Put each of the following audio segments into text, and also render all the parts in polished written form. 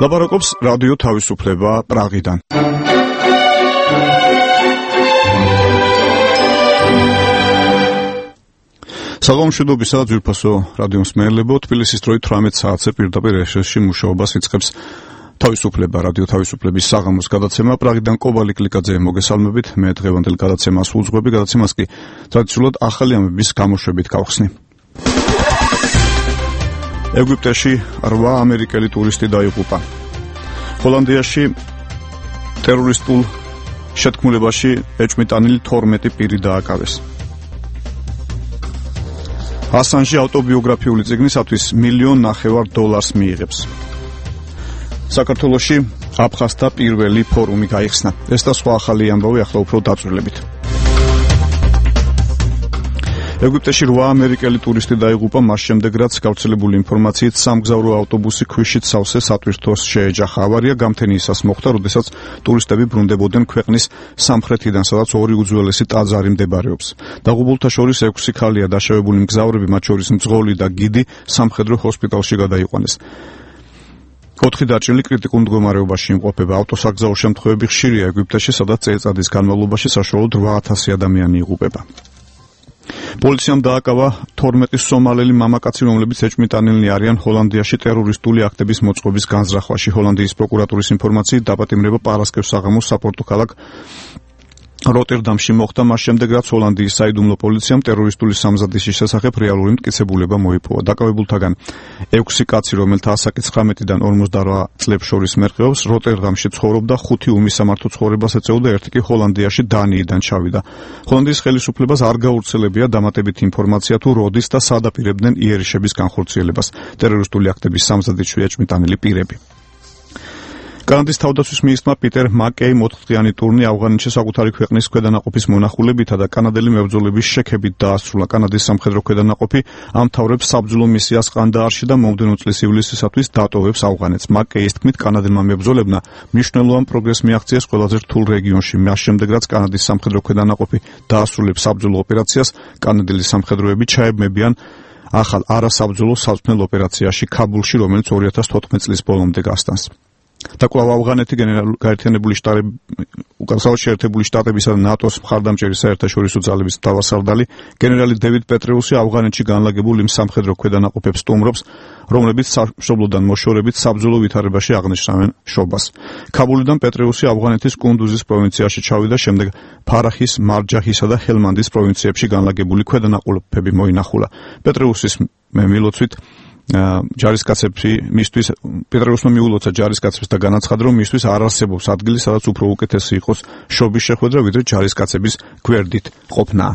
ლაპარაკობს რადიო თავისუფლება პრაღიდან. საღამომშვიდობისა ძვირფასო რადიო მსმენელებო, თბილისის დროით 18 საათზე პირდაპირ ეთერში მუშაობას იწყებს თავისუფლება რადიო თავისუფლების საღამოს გადაცემა. პრაღიდან კობალი კლიკაძე მოგესალმებით. მე დღევანდელ გადაცემას უძღვები, გადაცემას კი ტრადიციულად ახალი ამბების გამოშვებით გავხსნი. ეგვიპტეში 8 ამერიკელი ტურისტი დაიღუპა. ჰოლანდიაში ტერორისტულ შეთქმულებაში ეჭვმიტანილი 12 პირი დააკავეს. ასანჟი ავტობიოგრაფიული წიგნისათვის $1.5 მილიონ მიიღებს. საქართველოში აფხაზთა პირველი ფორუმი გაიხსნა. ეს და სხვა ახალი ამბავი ახლა უფრო დაწვრილებით. ეგვიპტეში 8 ამერიკელი ტურისტი დაიღუპა მას შემდეგ, რაც გავრცელებული ინფორმაციით სამგზავრო ავტობუსი ქვიშით სავსე სატვირთოს შეეჯახა. ავარია გამთენიისას მოხდა, როდესაც ტურისტები ბრუნდებოდნენ ქვეყნის სამხრეთიდან, სადაც ორი უძველესი ტაძარი მდებარეობს. დაღუპულთა შორის 6 ქალია. დაშავებული მგზავრები, მათ შორის მძღოლი და გიდი, სამხედრო ჰოსპიტალში გადაიყვანეს. 4 დაჭრილი კრიტიკულ მდგომარეობაში იმყოფება. ავტოსაგზაო შემთხვევები ხშირია ეგვიპტეში, სადაც წელიწადის განმავლობაში საშუალოდ 8000 ადამიანი იღუპება. პოლიციამ დააკავა 12 სომალელი მამაკაცი, რომლებიც ეჭვმიტანილნი არიან ჰოლანდიაში ტერორისტული აქტების მოწყობის განზრახვაში. ჰოლანდიის პროკურატურის ინფორმაციით დაპატიმრება პარასკევს საღამოს საპორტო ქალაქ როტერდამში მოხდა, მას შემდეგ, რაც ჰოლანდიის საიდუმლო პოლიციამ ტერორისტული სამზადისის შესახებ რეალური მტკიცებულება მოიპოვა. დაკავებულთაგან 6 კაცი, რომელთა ასაკი 19-დან 48 წლებს შორის მერყეობს, როტერდამში ცხოვრობდა, 5 უმისამართო ცხოვრებას ეწეოდა, 1 კი ჰოლანდიაში დანიიდან ჩავიდა. ჰოლანდიის ხელისუფლებას არ გაურცელებია დამატებითი ინფორმაცია თუ როდის და სად აპირებდნენ იერიშების განხორციელებას. ტერორისტული აქტების სამზადისში ეჭვმიტანილი პირები. კანადის თავდაცვის მინისტრმა პიტერ მაკეიმ 4-დღიანი ტურნე ავღანეთში საკუთარი ქვეყნის ქვედანაყოფის მონახულებითა და კანადელი მებრძოლების შექებით დაასრულა. კანადის სამხედრო ქვედანაყოფი ამთავრებს საბრძოლო მისიას ყანდაარში და მომდევნო წლის ივლისისათვის დატოვებს ავღანეთს. მაკეის თქმით, კანადელმა მებრძოლებმა მნიშვნელოვან პროგრესს მიაღწიეს ყველაზე რთულ რეგიონში. მას შემდეგ, რაც კანადის სამხედრო ქვედანაყოფი დაასრულებს საბრძოლო ოპერაციას, კანადელი სამხედროები ჩაებმებიან ახალ არასაბრძოლო საცვლელ ოპერაციაში ქაბულში, რომელიც 2014 წლის ბოლომდე გასტანს. და კვლავ ავღანეთი გაერთებული შტატებისა და ნატოს მხარდამჭერი საერთაშორისო ძალების მთავარსარდალი გენერალი დევიდ პეტრეუსი ავღანეთში განლაგებულ იმ სამხედრო ქვედანაყოფებს სტუმრობს, რომლებიც სამშობლოდან მოშორებით საბრძოლო ვითარებაში აღნიშნავენ შობას. ქაბულიდან პეტრეუსი ავღანეთის კუნდუზის პროვინციაში ჩავიდა, შემდეგ ფარახის, მარჯაჰისა და ჰელმანდის პროვინციებში განლაგებული ქვედანაყოფები მოინახულა. პეტრეუსის მილოცვით ჯარისკაცები მისთვის პეტრეუსმა მიულოცა ჯარისკაცებს და განაცხადა, რომ მისთვის არ არსებობს ადგილი, სადაც უფრო უკეთესი იყოს შობის შეხვედრა, ვიდრე ჯარისკაცების გვერდით ყოფნა.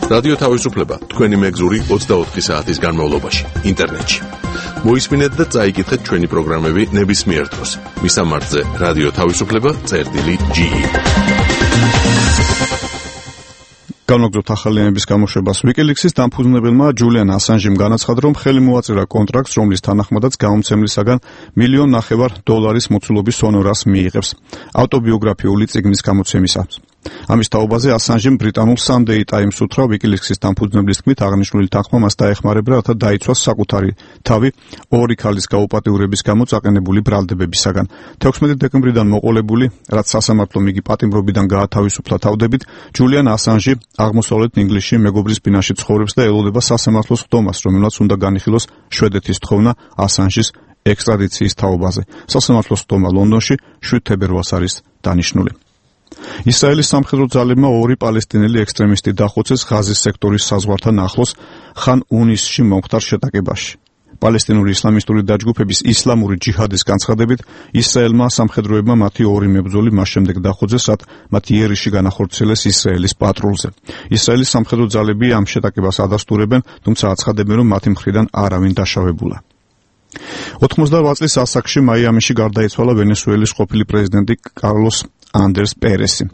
რადიო თავისუფლება თქვენი მეგზური 24 საათის განმავლობაში ინტერნეტში. მოისმინეთ და წაიკითხეთ ჩვენი პროგრამები ნებისმიერ დროს. მისამართზე რადიო თავისუფლება.ge. განვაგრძობთ ახალი ამბების გამოშვებას. WikiLeaks-ის დამფუძნებელმა ჯულიან ასანჟიმ განაცხადა, რომ ხელი მოაწერა კონტრაქტს, რომლის თანახმადაც გამომცემლისაგან $1.5 მილიონ მოცულობის ჰონორარს მიიღებს ავტობიოგრაფიული წიგნის გამოცემისას. ამის თაობაზე ასანჟიმ ბრიტანულ Sunday Times უთხრა, WikiLeaks-ის დამფუძნებლის თქმით, აღნიშნული თანხმა მას დაეხმარება, რათა დაიცვას საკუთარი თავი 2 ქალის გაუპატიურების გამო წაყენებული ბრალდებებისაგან. 16 დეკემბრიდან მოყოლებული, რაც სასამართლომ იგი პატიმრობიდან გაათავისუფლა თავდებით, ჯულიან ასანჟი აღმოსავლეთ ინგლისში მეგობრის ბინაში ცხოვრობს და ელოდება სასამართლოს ხდომას, რომელმაც უნდა განიხილოს შვედეთის თხოვნა ასანჟის ექსტრადიციის თაობაზე. სასამართლოს ხდომა ლონდონში 7 თებერვალს არის დანიშნული. ისრაელის სამხედრო ძალებმა 2 პალესტინელი ექსტრემისტი დახოცეს ღაზის სექტორის საზღვართან ახლოს ხან უნისში მომხდარ შეტაკებაში. პალესტინური ისლამისტური დაჯგუფების ისლამური ჯიჰადის განცხადებით, ისრაელმა სამხედროებმა მათი 2 მებრძოლი მას შემდეგ დახოცეს, რაც მათ იერიში განახორციელეს ისრაელის პატრულზე. ისრაელის სამხედრო ძალები ამ შეტაკებას ადასტურებენ, თუმცა აცხადებენ, რომ მათი მხრიდან არავინ დაშავებულა. 88 წლის ასაკში მაიამიში გარდაიცვალა ვენესუელის ყოფილი პრეზიდენტი კარლოს ანდერს პერესი.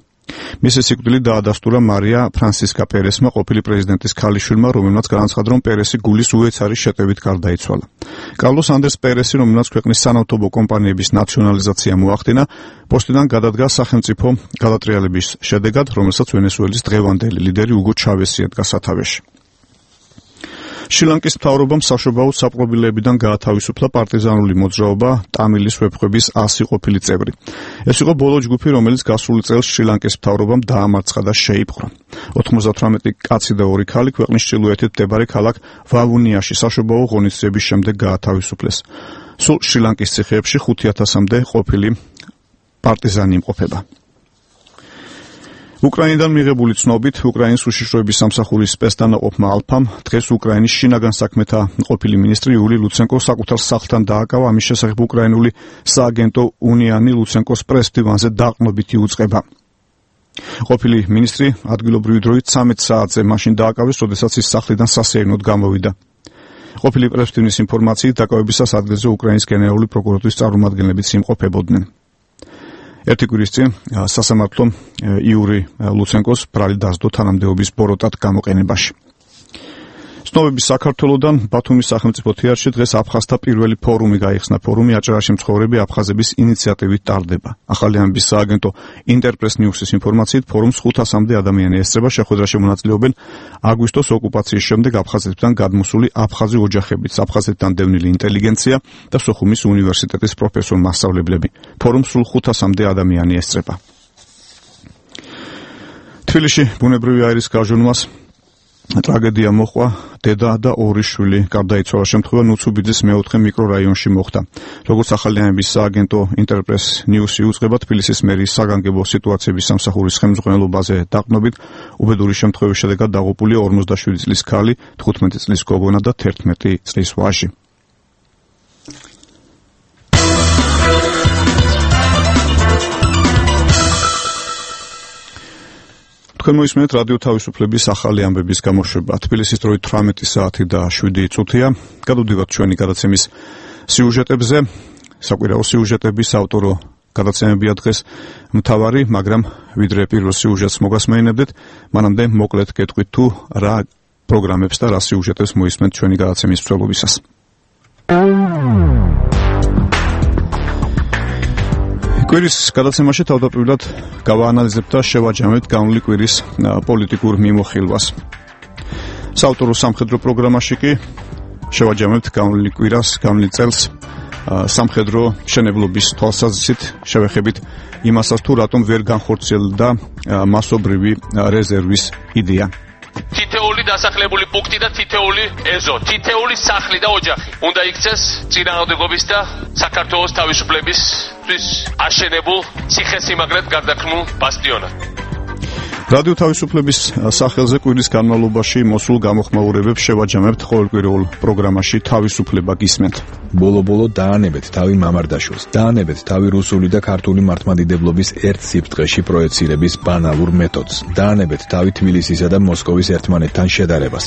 მისი სიკვდილი დაადასტურა მარია ფრანსისკა პერესმა, ყოფილი პრეზიდენტის ქალიშვილმა, რომელმაც განაცხადა, რომ პერესი გულის უეცარი შეტევით გარდაიცვალა. კარლოს ანდერს პერესი, რომელმაც ქვეყნის სანავთობო კომპანიების ნაციონალიზაცია მოახდინა, პოსტიდან გადადგა სახელმწიფო გადატრიალების შედეგად, რომელსაც ვენესუელის დღევანდელი ლიდერი უგო ჩავესი ედგა სათავეში. შრი-ლანკის მთავრობამ საშობაოდ საპყრობილეებიდან გაათავისუფლა პარტიზანული მოძრაობა ტამილის ვეფხვების 100 ყოფილი წევრი. ეს იყო ბოლო ჯგუფი, რომელიც გასული წელს შრი-ლანკის მთავრობამ დაამარცხა და შეიპყრო. 98 კაცი და 2 ქალი ქვეყნის ჩრდილოეთით მდებარე ქალაქ ვავუნიაში საშობაო ღონისძიების შემდეგ გაათავისუფლეს. სულ შრი-ლანკის ციხეებში 5000-მდე ყოფილი პარტიზანი იმყოფება. უკრაინიდან მიღებული ცნობით, უკრაინის უშიშროების სამსახურის სპეცდანაყოფმა ალფამ დღეს უკრაინის შინაგან საქმეთა ყოფილი მინისტრი იული ლუცენკო საკუთარ სახლთან დააკავა. ამის შესახებ უკრაინული სააგენტო უნიანი ლუცენკოს პრეს-დივანზე დაყრდნობით იუწყება. ყოფილი მინისტრი ადგილობრივი დროით 13 საათზე მაშინ დააკავეს, როდესაც ის სახლიდან სასეირნოდ გამოვიდა. ყოფილი პრეს-დივნის ინფორმაციით, დაკავებისას ადგილზე უკრაინის გენერალური პროკურატურის წარმომადგენლებიც იმყოფებოდნენ. ერთი კვირის წინ სასამართლომ იური ლუცენკოს ბრალი დასდო თანამდებობის ბოროტად გამოყენებაში. ცნობების საქართველოდან ბათუმის სახელმწიფო თეატრში დღეს აფხაზთა პირველი ფორუმი გაიხსნა. ფორუმი აჭარაში მცხოვრები აფხაზების ინიციატივით ტარდება. ახალი ამბის სააგენტო ინტერპრეს ნიუსის ინფორმაციით, ფორუმს 500-მდე ადამიანი ესწრება. შეხვედრაში მონაწილეობენ აგვისტოს ოკუპაციის შემდეგ აფხაზეთიდან გადმოსული აფხაზი ოჯახებიც, აფხაზეთიდან დევნილი ინტელიგენცია და სოხუმის უნივერსიტეტის პროფესორ-მასწავლებლები. ფორუმს სულ 500-მდე ადამიანი ესწრება. თბილისში ბუნებრივი აირის გაჟონვას ტრაგედია მოყვა. დედა და 2 შვილი გარდაიცვალა. შემთხვევა ნუცუბიძის მეოთხე მიკრორაიონში მოხდა. როგორც ახალი ამბის სააგენტო ინტერპრეს ნიუსი უწყება, თბილისის მერის საგანგებო სიტუაციების სამსახურის ხელმძღვანელობაზე დაყრდნობით, უბედური შემთხვევის შედეგად დაღუპულია 47 წლის ქალი, 15 წლის გოგონა და 11 წლის ვაჟი. თქვენ მოისმენთ რადიო თავისუფლების ახალი ამბების გამოშვება. თბილისის დროით 18 საათი და 7 წუთია. გადავდივართ ჩვენი გადაცემის სიუჟეტებზე. საკვირაო სიუჟეტების ავტორო გადაცემებია დღეს მთავარი, მაგრამ ვიდრე პირველ სიუჟეტს მოგასმენებდეთ, მანამდე მოკლედ გეტყვით თუ რა პროგრამებს და რა სიუჟეტებს მოისმენთ ჩვენი გადაცემის მსვლელობისას. კვირის გადაცემაში თავდაპირველად გავაანალიზებთ და შევაჯამებთ განვლილი კვირის პოლიტიკურ მიმოხილვას. საავტორო სამხედრო პროგრამაში კი შევაჯამებთ განვლილი კვირას, განვლილ წელს სამხედრო მშენებლობის თვალსაზრისით შევეხებით იმასაც თუ რატომ ვერ განხორციელდა მასობრივი რეზერვის იდეა. თითეული დასახლებული პუნქტი და თითეული ეზო, თითეული სახლი და ოჯახი უნდა იქცეს წინააღმდეგობის და საქართველოს თავისუფლებისთვის აშენებულ ციხესიმაგრედ გარდაქმნულ ბასტიონად. რადიო თავისუფლების სახელზე კვირის განმავლობაში მოსულ გამოხმაურებებს შევაჯამებთ ყოველკვირეულ პროგრამაში თავისუფლება გისმენთ. ბოლო-ბოლო დაანებეთ თავი მამარდაშვილს, დაანებეთ თავი რუსული და ქართული მართლმადიდებლობის ერთ სიფტყეში პროექცირების ბანალურ მეთოდს, დაანებეთ თავი თბილისისა და მოსკოვის ერთმანეთთან შედარებას.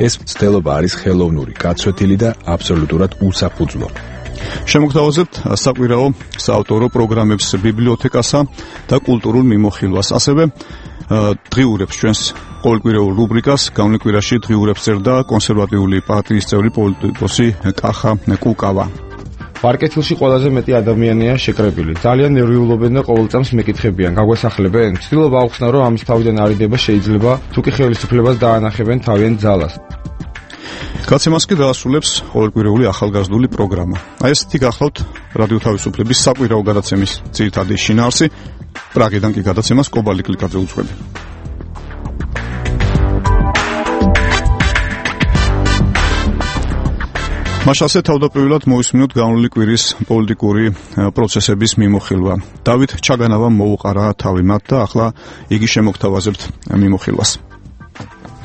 ეს მცდელობა არის ხელოვნური, გაცვეთილი და აბსოლუტურად უსაფუძვლო. შემოგთავაზებთ საკვირაო საავტორო პროგრამებს ბიბლიოთეკასა და კულტურულ მიმოხილვას, ასევე დღიურებს ჩვენს ყოველკვირეულ რუბრიკას. განვლილ კვირაში დღიურებს წერდა კონსერვატიული პარტიის წევრი პოლიტიკოსი კახა კუკავა. პარკეთილში ყველაზე მეტი ადამიანია შეკრებილი. ძალიან ნერვიულობენ და ყოველ წამს მეკითხებიან, გაგვესახლებენ? ცდილობ აუხსნა, რომ ამის თავიდან არიდება შეიძლება, თუკი ხელისუფლებას დაანახებენ თავიანთ ძალას. გადაცემას კი დაასრულებს ყოველკვირეული ახალგაზრდული პროგრამა. აი ესეთი გახლავთ რადიო თავისუფლების საკვირაო გადაცემის ძირითადი შინაარსი. პრაღიდან კი გადაცემას კობალი კლიკაძე უძღვები. მაშასე თავდაპირველად მოისმინოთ განვლილი კვირის პოლიტიკური პროცესების მიმოხილვა. დავით ჩაგანავამ მოუყარა თავი მათ და ახლა იგი შემოგთავაზებთ მიმოხილვას.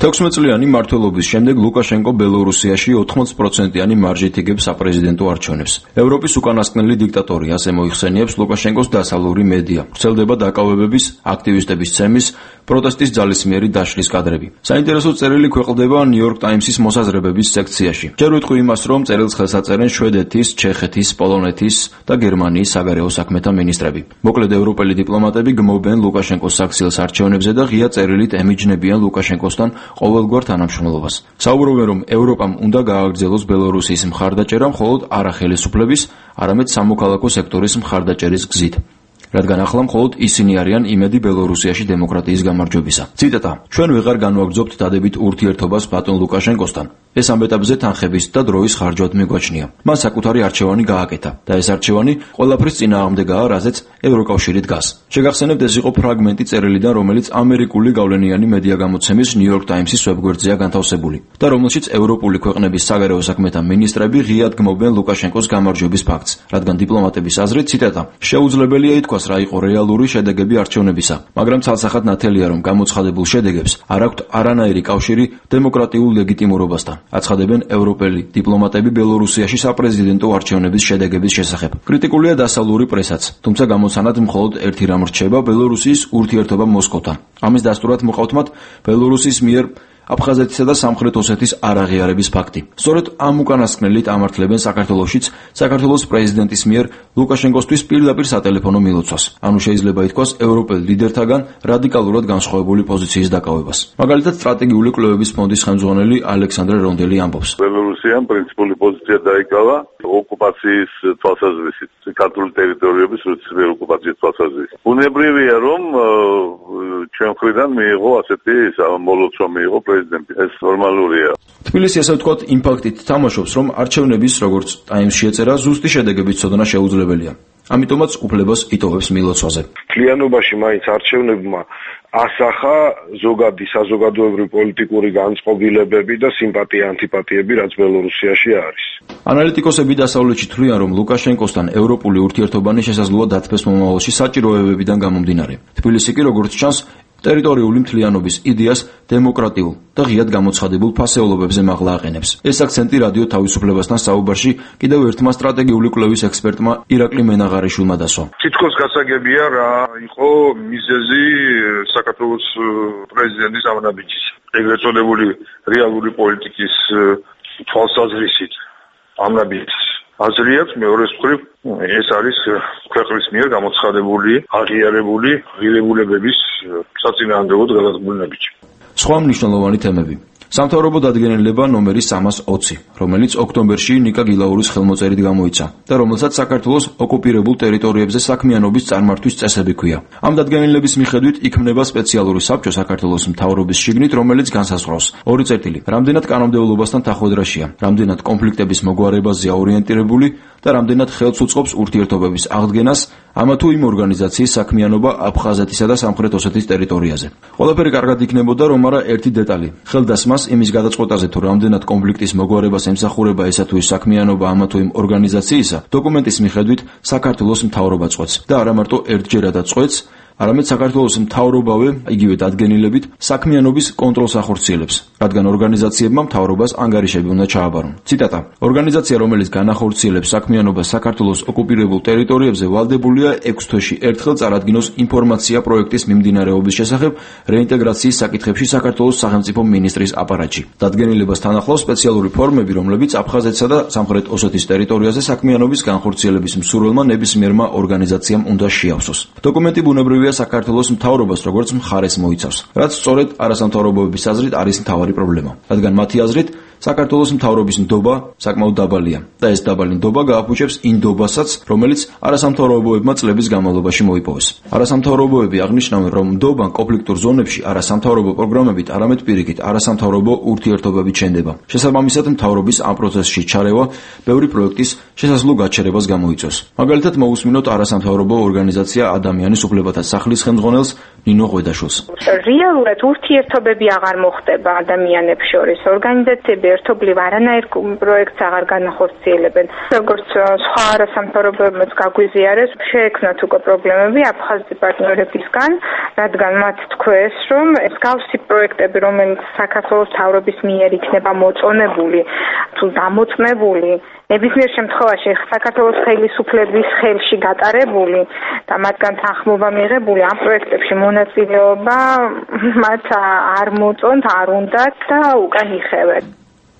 16 წლიანი მმართველობის შემდეგ ლუკაშენკო ბელორუსიაში 80%-იანი მარჟით იგებს საპრეზიდენტო არჩევნებს. ევროპის უკანასკნელი დიქტატორი ასე მოიხსენიებს ლუკაშენკოს დასავლური მედია. ვრცელდება დაკავებების, აქტივისტების ცემის, პროტესტის ძალისმიერი დაშლის კადრები. საინტერესო წერილი ქვეყნდება ნიუ-იორკ ტაიმსის მოსაზრებების სექციაში. ჯერ ვიტყვი იმას, რომ წერილს ხელს აწერენ შვედეთის, ჩეხეთის, პოლონეთის და გერმანიის საგარეო საქმეთა მინისტრები. მოკლედ ევროპელი დიპლომატები გმობენ ლუკაშენკოს საქციელს არჩევნებზე და ღია წერილით ემიჯნებიან ლუკაშენკოსთან ყოველგვარ თანამშრომლობას. საუბრობენ, რომ ევროპამ უნდა გააგრძელოს ბელორუსიის მხარდაჭერა მხოლოდ არა ხელისუფლების, არამედ სამოქალაქო სექტორის მხარდაჭერის გზით. რადგან ახლა მხოლოდ ისინი არიან იმედი ბელორუსიაში დემოკრატიის გამარჯვებისა. ციტატა: ჩვენ ვეღარ განვაგრძობთ დადებით ურთიერთობას ბატონ ლუკაშენკოსთან. ეს ამ ეტაპზე თანხების და დროის ხარჯვად მიგვაჩნია. მან საკუთარი არჩევანი გააკეთა და ეს არჩევანი ყველაფრის წინააღმდეგაა, რაზეც ევროკავშირი დგას. შეგახსენებთ, ეს იყო ფრაგმენტი წერილიდან, რომელიც ამერიკული გავლენიანი მედია გამოცემის New York Times-ის ვებგვერდზეა განთავსებული და რომელშიც ევროპული ქვეყნების საგარეო საქმეთა მინისტრები ღიად გმობენ ლუკაშენკოს გამარჯვების ფაქტს, რადგან დიპლომატების აზრით, ციტატა: შეუძლებელია ითქვას რა იყო რეალური შედეგები არჩევნებისა, მაგრამ ცალსახად ნათელია, რომ გამოცხადებულ შედეგებს არ აქვთ არანაირი კავშირი დემოკრატიულ ლეგიტიმურობასთან. აცხადებენ ევროპელი დიპლომატები ბელორუსიაში საპრეზიდენტო არჩევნების შედეგების შესახებ. კრიტიკულია დასავლური პრესაც, თუმცა გამოცანად მხოლოდ ერთი რამ რჩება: ბელორუსიის ურთიერთობა მოსკოვთან. ამის დასტურად მოყავთ მათ ბელორუსის მიერ აფხაზეთისა და სამხრეთ ოსეთის არაღიარების ფაქტი. სწორედ ამ უკანასკნელით ამართლებენ საქართველოშიც საქართველოს პრეზიდენტის მიერ ლუკაშენკოსთვის პირდაპირ სატელეფონო მილოცვას. ანუ შეიძლება ითქვას ევროპელ ლიდერთაგან რადიკალურად განსხვავებული პოზიციის დაკავებას. მაგალითად, სტრატეგიული კვლევების ფონდის ხელმძღვანელი ალექსანდრე რონდელი ამბობს: ბელორუსიამ პრინციპული პოზიცია დაიკავა ოკუპაციის თვალსაზრისით, ქართული ტერიტორიების რუსეთის ოკუპაციის თვალსაზრისით. ბუნებრივია, რომ ჩვენ მხრიდან მიიღო ასეთი მოლოცვა მიიღო პრეზიდენტი. ეს ნორმალურია. თბილისი, ასე ვთქვათ, იმ ფაქტით თამაშობს, რომ არჩევნების, როგორც ტაიმსში ეწერა, ზუსტი შედეგების ცოდნა შეუძლებელია. ამიტომაც უფლებას იტოვებს მილოცვაზე. მთლიანობაში მაინც არჩევნებმა ასახა ზოგადი საზოგადოებრივი პოლიტიკური განწყობილებები და სიმპათია-ანტიპათიები, რაც ბელორუსიაში არის. ანალიტიკოსები დასავლეთში თვლიან, რომ ლუკაშენკოსთან ევროპული ურთიერთობანი შესაძლოა დათბეს მომავალში საჭიროებებიდან გამომდინარე. თბილისი კი, როგორც ჩანს, ტერიტორიული მთლიანობის იდეას დემოკრატიულ და ღიად გამოცხადებულ ფასეულობებზე მაღლა აყენებს. ეს აქცენტი რადიო თავისუფლებასთან საუბარში კიდევ ერთმა სტრატეგიული კვლევის ექსპერტმა ირაკლი მენაღარიშვილმა დასვა. თითქოს გასაგებია რა იყო მიზეზი საქართველოს პრეზიდენტის ამნაბიჯის. ეგრეთ წოდებული რეალური პოლიტიკის თვალსაზრისით ამნაბიჯის აზრიაც მეორეს მხრივ ეს არის ქვეყნის მიერ გამოცხადებული აღიარებული ღირებულებების საწინააღმდეგოდ გადადგმული ნაბიჯი. სხვა მნიშვნელოვანი თემები. სამთავრობო დადგენილება ნომერი 320, რომელიც ოქტომბერში ნიკა გილაურის ხელმოწერით გამოიცა და რომელსაც საქართველოს ოკუპირებულ ტერიტორიებზე საქმიანობის წარმართვის წესები ჰქვია. ამ დადგენილების მიხედვით იქმნება სპეციალური საბჭო საქართველოს მთავრობის შიგნით, რომელიც განსაზღვრავს: 2 წერტილი, რამდენად კანონმდებლობასთან დახვედრაშია, რამდენად კონფლიქტების მოგვარებაზეა ორიენტირებული და რამდენად ხელს უწყობს ურთიერთობების აღდგენას ამა თუ იმ ორგანიზაციის საქმიანობა აფხაზეთისა და სამხრეთ ოსეთის ტერიტორიაზე. ყველაფერი კარგად იქნებოდა, რომ არა ერთი დეტალი. ხელდასმას იმის გადაწყვეტაზე, თუ რამდენად კონფლიქტის მოგვარებას ემსახურება ესა თუ ის საქმიანობა ამა თუ იმ ორგანიზაციისა, დოკუმენტის მიხედვით საქართველოს მთავრობა წყვეტს და არა მარტო ერთჯერადაც წყვეტს, არამედ საქართველოს მთავრობავე იგივე დადგენილებით საქმიანობის კონტროლს ახორციელებს, რადგან ორგანიზაციებმა მთავრობას ანგარიშები უნდა ჩააბარონ. ციტატა: ორგანიზაცია, რომელიც განახორციელებს საქმიანობას საქართველოს ოკუპირებულ ტერიტორიებზე, ვალდებულია 6 თვეში ერთხელ წარადგინოს ინფორმაცია პროექტის მიმდინარეობის შესახებ რეინტეგრაციის საკითხებში საქართველოს სახელმწიფო მინისტრის აპარატში. დადგენილებას თან ახლავს სპეციალური ფორმები, რომლებიც აფხაზეთსა და სამხრეთ ოსეთის ტერიტორიაზე საქმიანობის განხორციელების მსურველმა ნებისმიერმა ორგანიზაციამ უნდა შეავსოს. დოკუმენტი ბუნებრივია საქართველოს მთავრობას როგორც მხარეს მოიცავს, რაც სწორედ არასამთავრობოების აზრით არის მთავარი პრობლემა, რადგან მათი აზრით საქართველოს მთავრობის ნდობა საკმაოდ დაბალია და ეს დაბალი ნდობა გააფუჭებს იმ ნდობასაც, რომელიც არასამთავრობოებმა წლების განმავლობაში მოიპოვეს. არასამთავრობოები აღნიშნავენ, რომ ნდობა კონფლიქტურ ზონებში არასამთავრობო პროგრამებით, არამედ პირიქით არასამთავრობო ურთიერთობებით შენდება. შესაბამისად, მთავრობის ამ პროცესში ჩარევა ბევრი პროექტის შესაძლო გაჩერებას გამოიწვევს. მაგალითად, მოусმინოთ არასამთავრობო ორგანიზაცია ადამიანის უფლებათა სახლის ხელმძღვანელს ნინო ღვედაშვილს. რეალურად ურთიერთობები აღარ მოხდება ადამიანებს შორის. ორგანიზაციები ერთობლივ არანაირ პროექტს აღარ განახორციელებენ. როგორც სხვა არასამთავრობოებმაც გაგვიზიარეს, შეექმნათ უკვე პრობლემები აფხაზი პარტნიორებისგან, რადგან მათ თქვეს, რომ მსგავსი პროექტები, რომელიც საქართველოს მთავრობის მიერ იქნება მოწონებული თუ დამოწმებული, ნებისმიერ შემთხვევაში საქართველოს ხელისუფლების ხელში გატარებული და მათგან თანხმობა მიღებული ამ პროექტებში მონაწილეობა მათ არ მოწონთ, არ უნდათ და უკან იხევენ.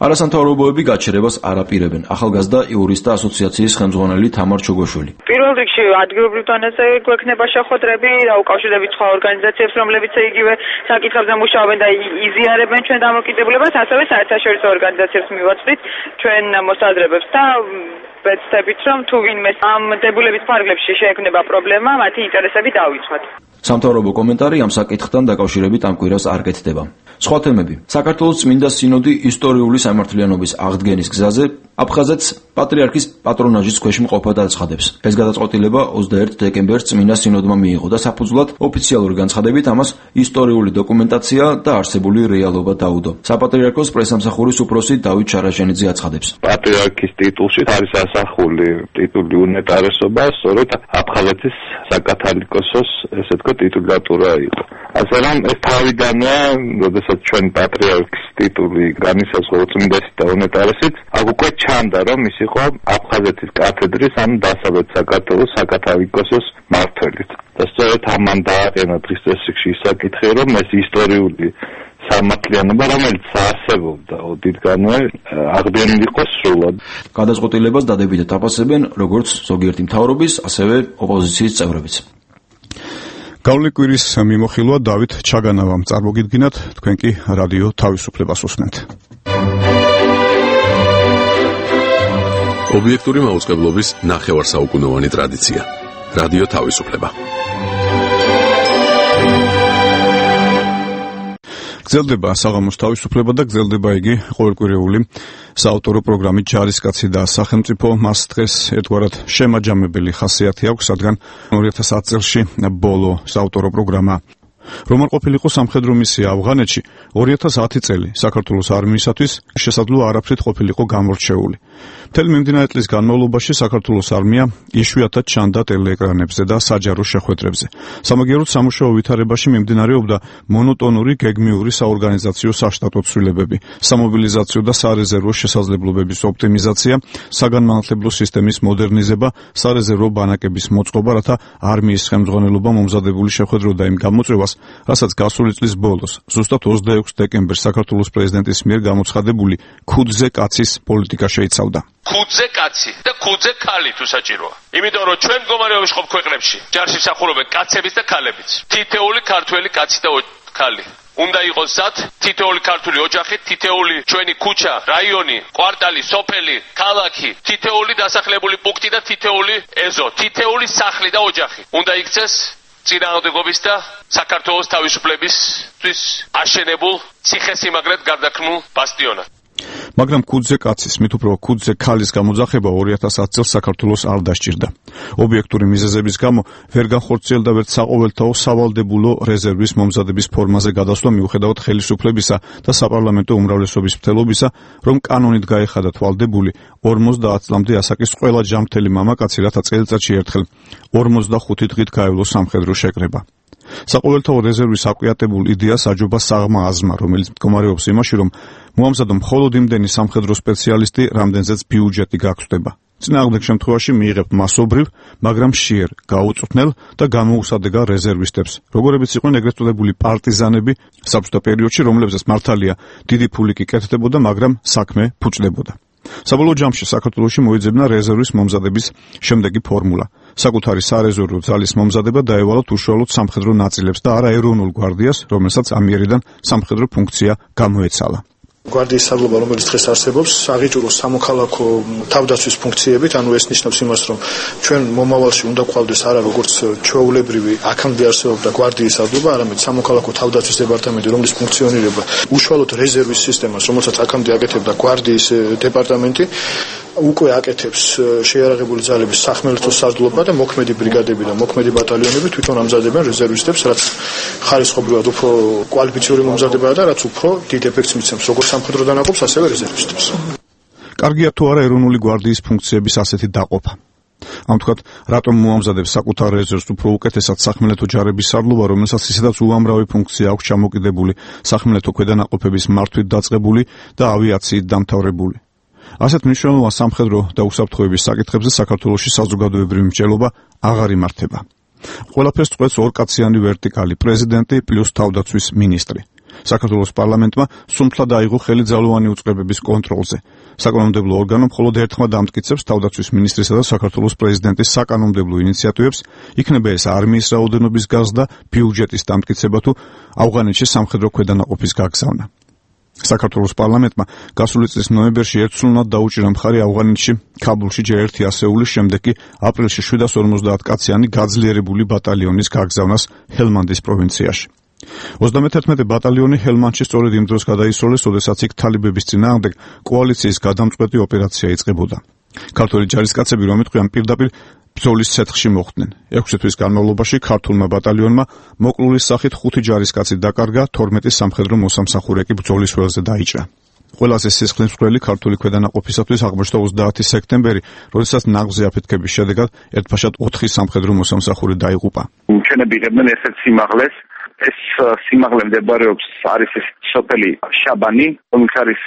არასამთავრობოები გაჩერებას არ აპირებენ. ახალგაზრდა იურისტთა ასოციაციის ხელმძღვანელი თამარ ჩოგოშვილი. პირველ რიგში ადგილობრივ დონეზე გვექნება შეხვედრები და უკავშირდებით სხვა ორგანიზაციებს, რომლებიც იგივე საკითხებზე მუშაობენ და იზიარებენ ჩვენ დამოკიდებულებას, ასევე საერთაშორისო ორგანიზაციებს მივაწვდით ჩვენ მოსაზრებებს და ვეცდებით, რომ თუ ვინმე ამ დებულების ფარგლებში შეექმნება პრობლემა, მათი ინტერესები დავიცვათ. სამთავრობო კომენტარი ამ საკითხთან დაკავშირებით ამ კვირას არ კეთდება. სხვა თემები. საქართველოს წმინდა სინოდი ისტორიული სამართლიანობის აღდგენის გზაზე აფხაზეთს პატრიარქის პატრონაჟის ქვეშ მყოფად აცხადებს. ეს გადაწყვეტილება 21 დეკემბერს წმინდა სინოდმა მიიღო და საფუძვლად ოფიციალური განცხადებით ამას ისტორიული დოკუმენტაცია და არსებული რეალობა დაუდო. საპატრიარქოს პრესამსახურის უფროსი დავით ჩარაშენიძე აცხადებს. პატრიარქის ტიტულში არის ასახული ტიტული უნეტარესობა, სწორედ აფხაზეთის საკათალიკოსოს ესე თქვა ტიტულატურა იყო. ასე რომ ეს თავიდანვე, როდესაც ჩვენ პატრიარქის ტიტული განისაზღვრა წმინდასით და უნეტარესით, აქ უკვე ჩანდა, რომ ის იყო აფხაზეთის კათედრის, ანუ დასავლეთ საქართველოს საკათალიკოსოს მმართველიც. და სწორედ ამან დააყენა დღის წესრიგში ის საკითხი, რომ ეს ისტორიული სამართლიანობა, რომელიც არსებობდა ოდითგანვე, აღდგენილი იყო სრულად. გადაწყვეტილებას დადებითად აფასებენ როგორც ზოგიერთი მთავრობის, ასევე ოპოზიციის წევრებიც. გავლილი კვირის მიმოხილვა დავით ჩაგანავამ წარმოგიდგინათ, თქვენ კი რადიო თავისუფლებას უსმენთ. ობიექტური მაუწყებლობის ნახევარსაუკუნოვანი ტრადიცია. რადიო თავისუფლება. გრძელდება საღამოს თავისუფლება და გრძელდება იგი ყოველკვირეული საავტორო პროგრამით ჯარისკაცი და სახელმწიფო. მას დღეს ერთგვარად შემაჯამებელი ხასიათი აქვს, რადგან 2010 წელში ბოლო საავტორო პროგრამა. რომ არ ყოფილიყო სამხედრო მისია ავღანეთში, 2010 წელი საქართველოს არმიისათვის შესაძლო არაფრით ყოფილიყო გამორჩეული. მთელი მიმდინარე წლის განმავლობაში საქართველოს არმია იშვიათად ჩანდა ტელეეკრანებზე და საჯარო შეხვედრებზე. სამაგიეროდ სამუშაო ვითარებაში მიმდინარეობდა მონოტონური გეგმიური საორგანიზაციო საშტატო ცვლილებები, სამობილიზაციო და სარეზერვო შესაძლებლობების ოპტიმიზაცია, საგანმანათლებლო სისტემის მოდერნიზება, სარეზერვო ბანაკების მოწყობა, რათა არმიის ხელმძღვანელობა მომზადებული შეხვედროდა იმ გამოწვევას, რასაც გასული წლის ბოლოს, ზუსტად 26 დეკემბერს საქართველოს პრეზიდენტის მიერ გამოცხადებული ქუდზე კაცის პოლიტიკა შეიცავდა. ქუდზე კაცი და ქუდზე ქალი თუ საჭიროა. იმიტომ რომ ჩვენ მდგომარეობის ხომ ქვეყნებში ჯარში მსახურობენ კაცებიც და ქალებიც. თითეული ქართველი კაცი და ქალი. უნდა იყოს სად თითეული ქართული ოჯახი, თითეული ჩვენი ქუჩა, რაიონი, კვარტალი, სოფელი, ქალაქი, თითეული დასახლებული პუნქტი და თითეული ეზო, თითეული სახლი და ოჯახი. უნდა იქცეს წინააღმდეგობის და საქართველოს თავისუფლებისთვის აშენებულ ციხესიმაგრედ გარდაქმნულ ბასტიონად. მაგრამ ქუდზე კაცის, მით უფრო ქუდზე ქალის გამოძახება 2010 წელს საქართველოს არ დასჭირდა. ობიექტური მიზეზების გამო ვერ განხორციელდა ვერც საყოველთაო სავალდებულო რეზერვის მომზადების ფორმაზე გადასვლა მიუხედავად ხელისუფლებისა და საპარლამენტო უმრავლესობის მცდელობისა, რომ კანონით გაეხადა თვალდებული 50 წლამდე ასაკის ყველა ჯანმრთელი მამაკაცი, რათა წელიწადში ერთხელ 45 დღით გაევლოს სამხედრო შეკრება. საყოველთაო რეზერვის აკვიატებულ იდეას აჯობა საღმა აზმა, რომელიც მდგომარეობს იმაში, რომ მოამზადო მხოლოდ იმდენი სამხედრო სპეციალისტი, რამდენზეც ბიუჯეტი გაგწდება. წინააღმდეგ შემთხვევაში მიიღებთ მასობრივ, მაგრამ მშიერ, გაუწვრთნელ და გამოუსადეგარ რეზერვისტებს, როგორებიც იყვნენ ეგრეთ წოდებული პარტიზანები საბჭოთა პერიოდში, რომლებზეც მართალია დიდი ფული კი კეთდებოდა, მაგრამ საქმე ფუჭდებოდა. საბოლოო ჯამში საქართველოში მოიძებნა რეზერვის მომზადების შემდეგი ფორმულა. საკუთარი სარეზერვო ძალის მომზადება დაევალოთ უშუალოდ სამხედრო ნაწილებს და არა ეროვნულ გვარდიას, რომელსაც ამიერიდან სამხედრო ფუნქცია გამოეცალა. გვარდიის საგლობა, რომელიც დღეს არსებობს, აღიჭურო სამოქალაქო თავდაცვის ფუნქციებით, ანუ ეს ნიშნავს იმას, რომ ჩვენ მომავალში უნდა გვყავდეს არა როგორც ჩვეულებრივი აქამდე არსებობდა გვარდიის საგლობა, არამედ სამოქალაქო თავდაცვის დეპარტამენტი, რომლის ფუნქციონირება უშუალოდ რეზერვის სისტემას, რომელსაც აქამდე აკეთებდა გვარდიის დეპარტამენტი, უკვე აკეთებს შეიარაღებული ძალების სახმელეთო საზღვრება და მოქმედი ბრიგადები და მოქმედი ბატალიონები თვითონ ამზადებენ რეზერვისტებს, რაც ხარისხობრივად უფრო კვალიფიციური მომზადებაა და რაც უფრო დიდ ეფექტს მიცემს როგორც სამხედრო დანაყოფს, ასევე რეზერვისტებს. კარგია თუ არა ეროვნული გვარდიის ფუნქციების ასეთი დაყოფა. ამ თქვათ, რატომ მოამზადებს საკუთარ რეზერვს უფრო უკეთესად სახმელეთო ჯარების სარდლობა, რომელსაც ისედაც უამრავი ფუნქცია აქვს ჩამოკიდებული, სახმელეთო ქვედანაყოფების მართვით დაწყებული და ავიაციით დამთავრებული. ასეთ მნიშვნელოვან სამხედრო და უსაფრთხოების საკითხებზე საქართველოში საზოგადოებრივი მსჯელობა აღარ იმართება. ყველაფერს წყვეტს ორკაციანი ვერტიკალი, პრეზიდენტი პლუს თავდაცვის მინისტრი. საქართველოს პარლამენტმა სუმთლად აიღო ხელი ძალოვანი უწყებების კონტროლზე. საკანონმდებლო ორგანო მხოლოდ ერთხმად ამტკიცებს თავდაცვის მინისტრისა და საქართველოს პრეზიდენტის საკანონმდებლო ინიციატივებს, იქნება ეს არმიის რაოდენობის გაზრდა, ბიუჯეტის დამტკიცება თუ ავღანეთში სამხედრო ქვედანაყოფის გაგზავნა. საქართველოს პარლამენტმა გასული წლის ნოემბერში ერთსულნად დაუჭირა მხარი ავღანეთში, ქაბულში ჯერ ერთი ასეულის, შემდეგ კი აპრილში 750 კაციანი გაძლიერებული ბატალიონის გაგზავნას ჰელმანდის პროვინციაში. 31 ბატალიონი ჰელმანდში სწორედ იმ დროს გადაისროლეს, როდესაც იქ თალიბების წინააღმდეგ კოალიციის გადამწყვეტი ოპერაცია იწყებოდა. ქართველი ჯარისკაცები, რომ იტყვიან, პირდაპირ ბრძოლის ცეცხლში მოხვდნენ. 6 თვის განმავლობაში ქართულმა ბატალიონმა მოკლულის სახით 5 ჯარისკაცი დაკარგა, 12 სამხედრო მოსამსახურე კი ბრძოლის ველზე დაიჭრა. ყველაზე სისხლისმღვრელი ქართული ქვედანაყოფისათვის აღმოჩნდა 30 სექტემბერი, როდესაც ნაღზე აფეთქების შედეგად ერთბაშად 4 სამხედრო მოსამსახურე დაიღუპა. ჩვენები იღებდნენ ესეთ სიმაღლეს. ეს სიმაღლე მდებარეობს არის ეს სოფელი შაბანი, რომელიც არის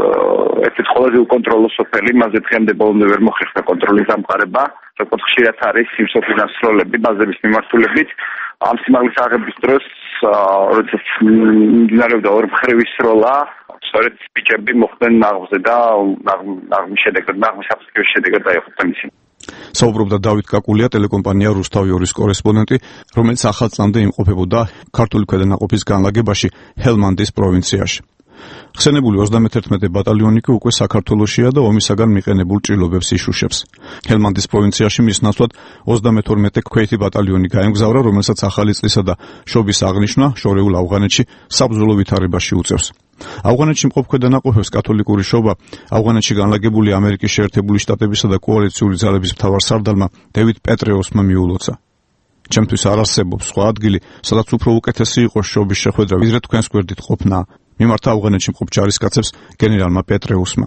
ერთ-ერთი ყველაზე უკონტროლო სოფელი, მასზე დღემდე ბოლომდე ვერ მოხერხდა კონტროლის დამყარება. საკუთარ ხშირად არის იმ სოფლის დასრულები ბაზების მიმართულებით. ამ სიმაღლის აღების დროს, როდესაც მიმდინარეობდა ორმხრივი სროლა, სწორედ ბიჭები მოხვდნენ ნაღზე და ნაღმის შედეგად დაიღუპნენ ისინი. საუბრობდა დავით კაკულია, ტელეკომპანია რუსთავი 2-ის კორესპონდენტი, რომელიც ახალწლამდე იმყოფებოდა ქართული ქვედანაყოფის განლაგებაში ჰელმანდის პროვინციაში. ხსენებული 31 ბატალიონი კი უკვე საქართველოშია და ომისაგან მიყენებულ ჭრილობებს იშუშებს. ჰელმანდის პროვინციაში მის ნაცვლად 32 ქვეითი ბატალიონი გაემგზავრა, რომელსაც ახალი წლისა და შობის აღნიშვნა შორეულ ავღანეთში საბრძოლო ვითარებაში უწევს. ავღანეთში მყოფ ქვედანაყოფებს კათოლიკური შობა ავღანეთში განლაგებული ამერიკის შეერთებული შტატებისა და კოალიციური ძალების მთავარსარდალმა დევიდ პეტრეუსმა მიულოცა. ჩემთვის არ არსებობს სხვა ადგილი, სადაც უფრო უკეთესი იყოს შობის შეხვედრა, ვიდრე თქვენს გვერდით ყოფნა. მიმართა ავღანეთში მყოფ ჯარისკაცებს გენერალმა პეტრეუსმა.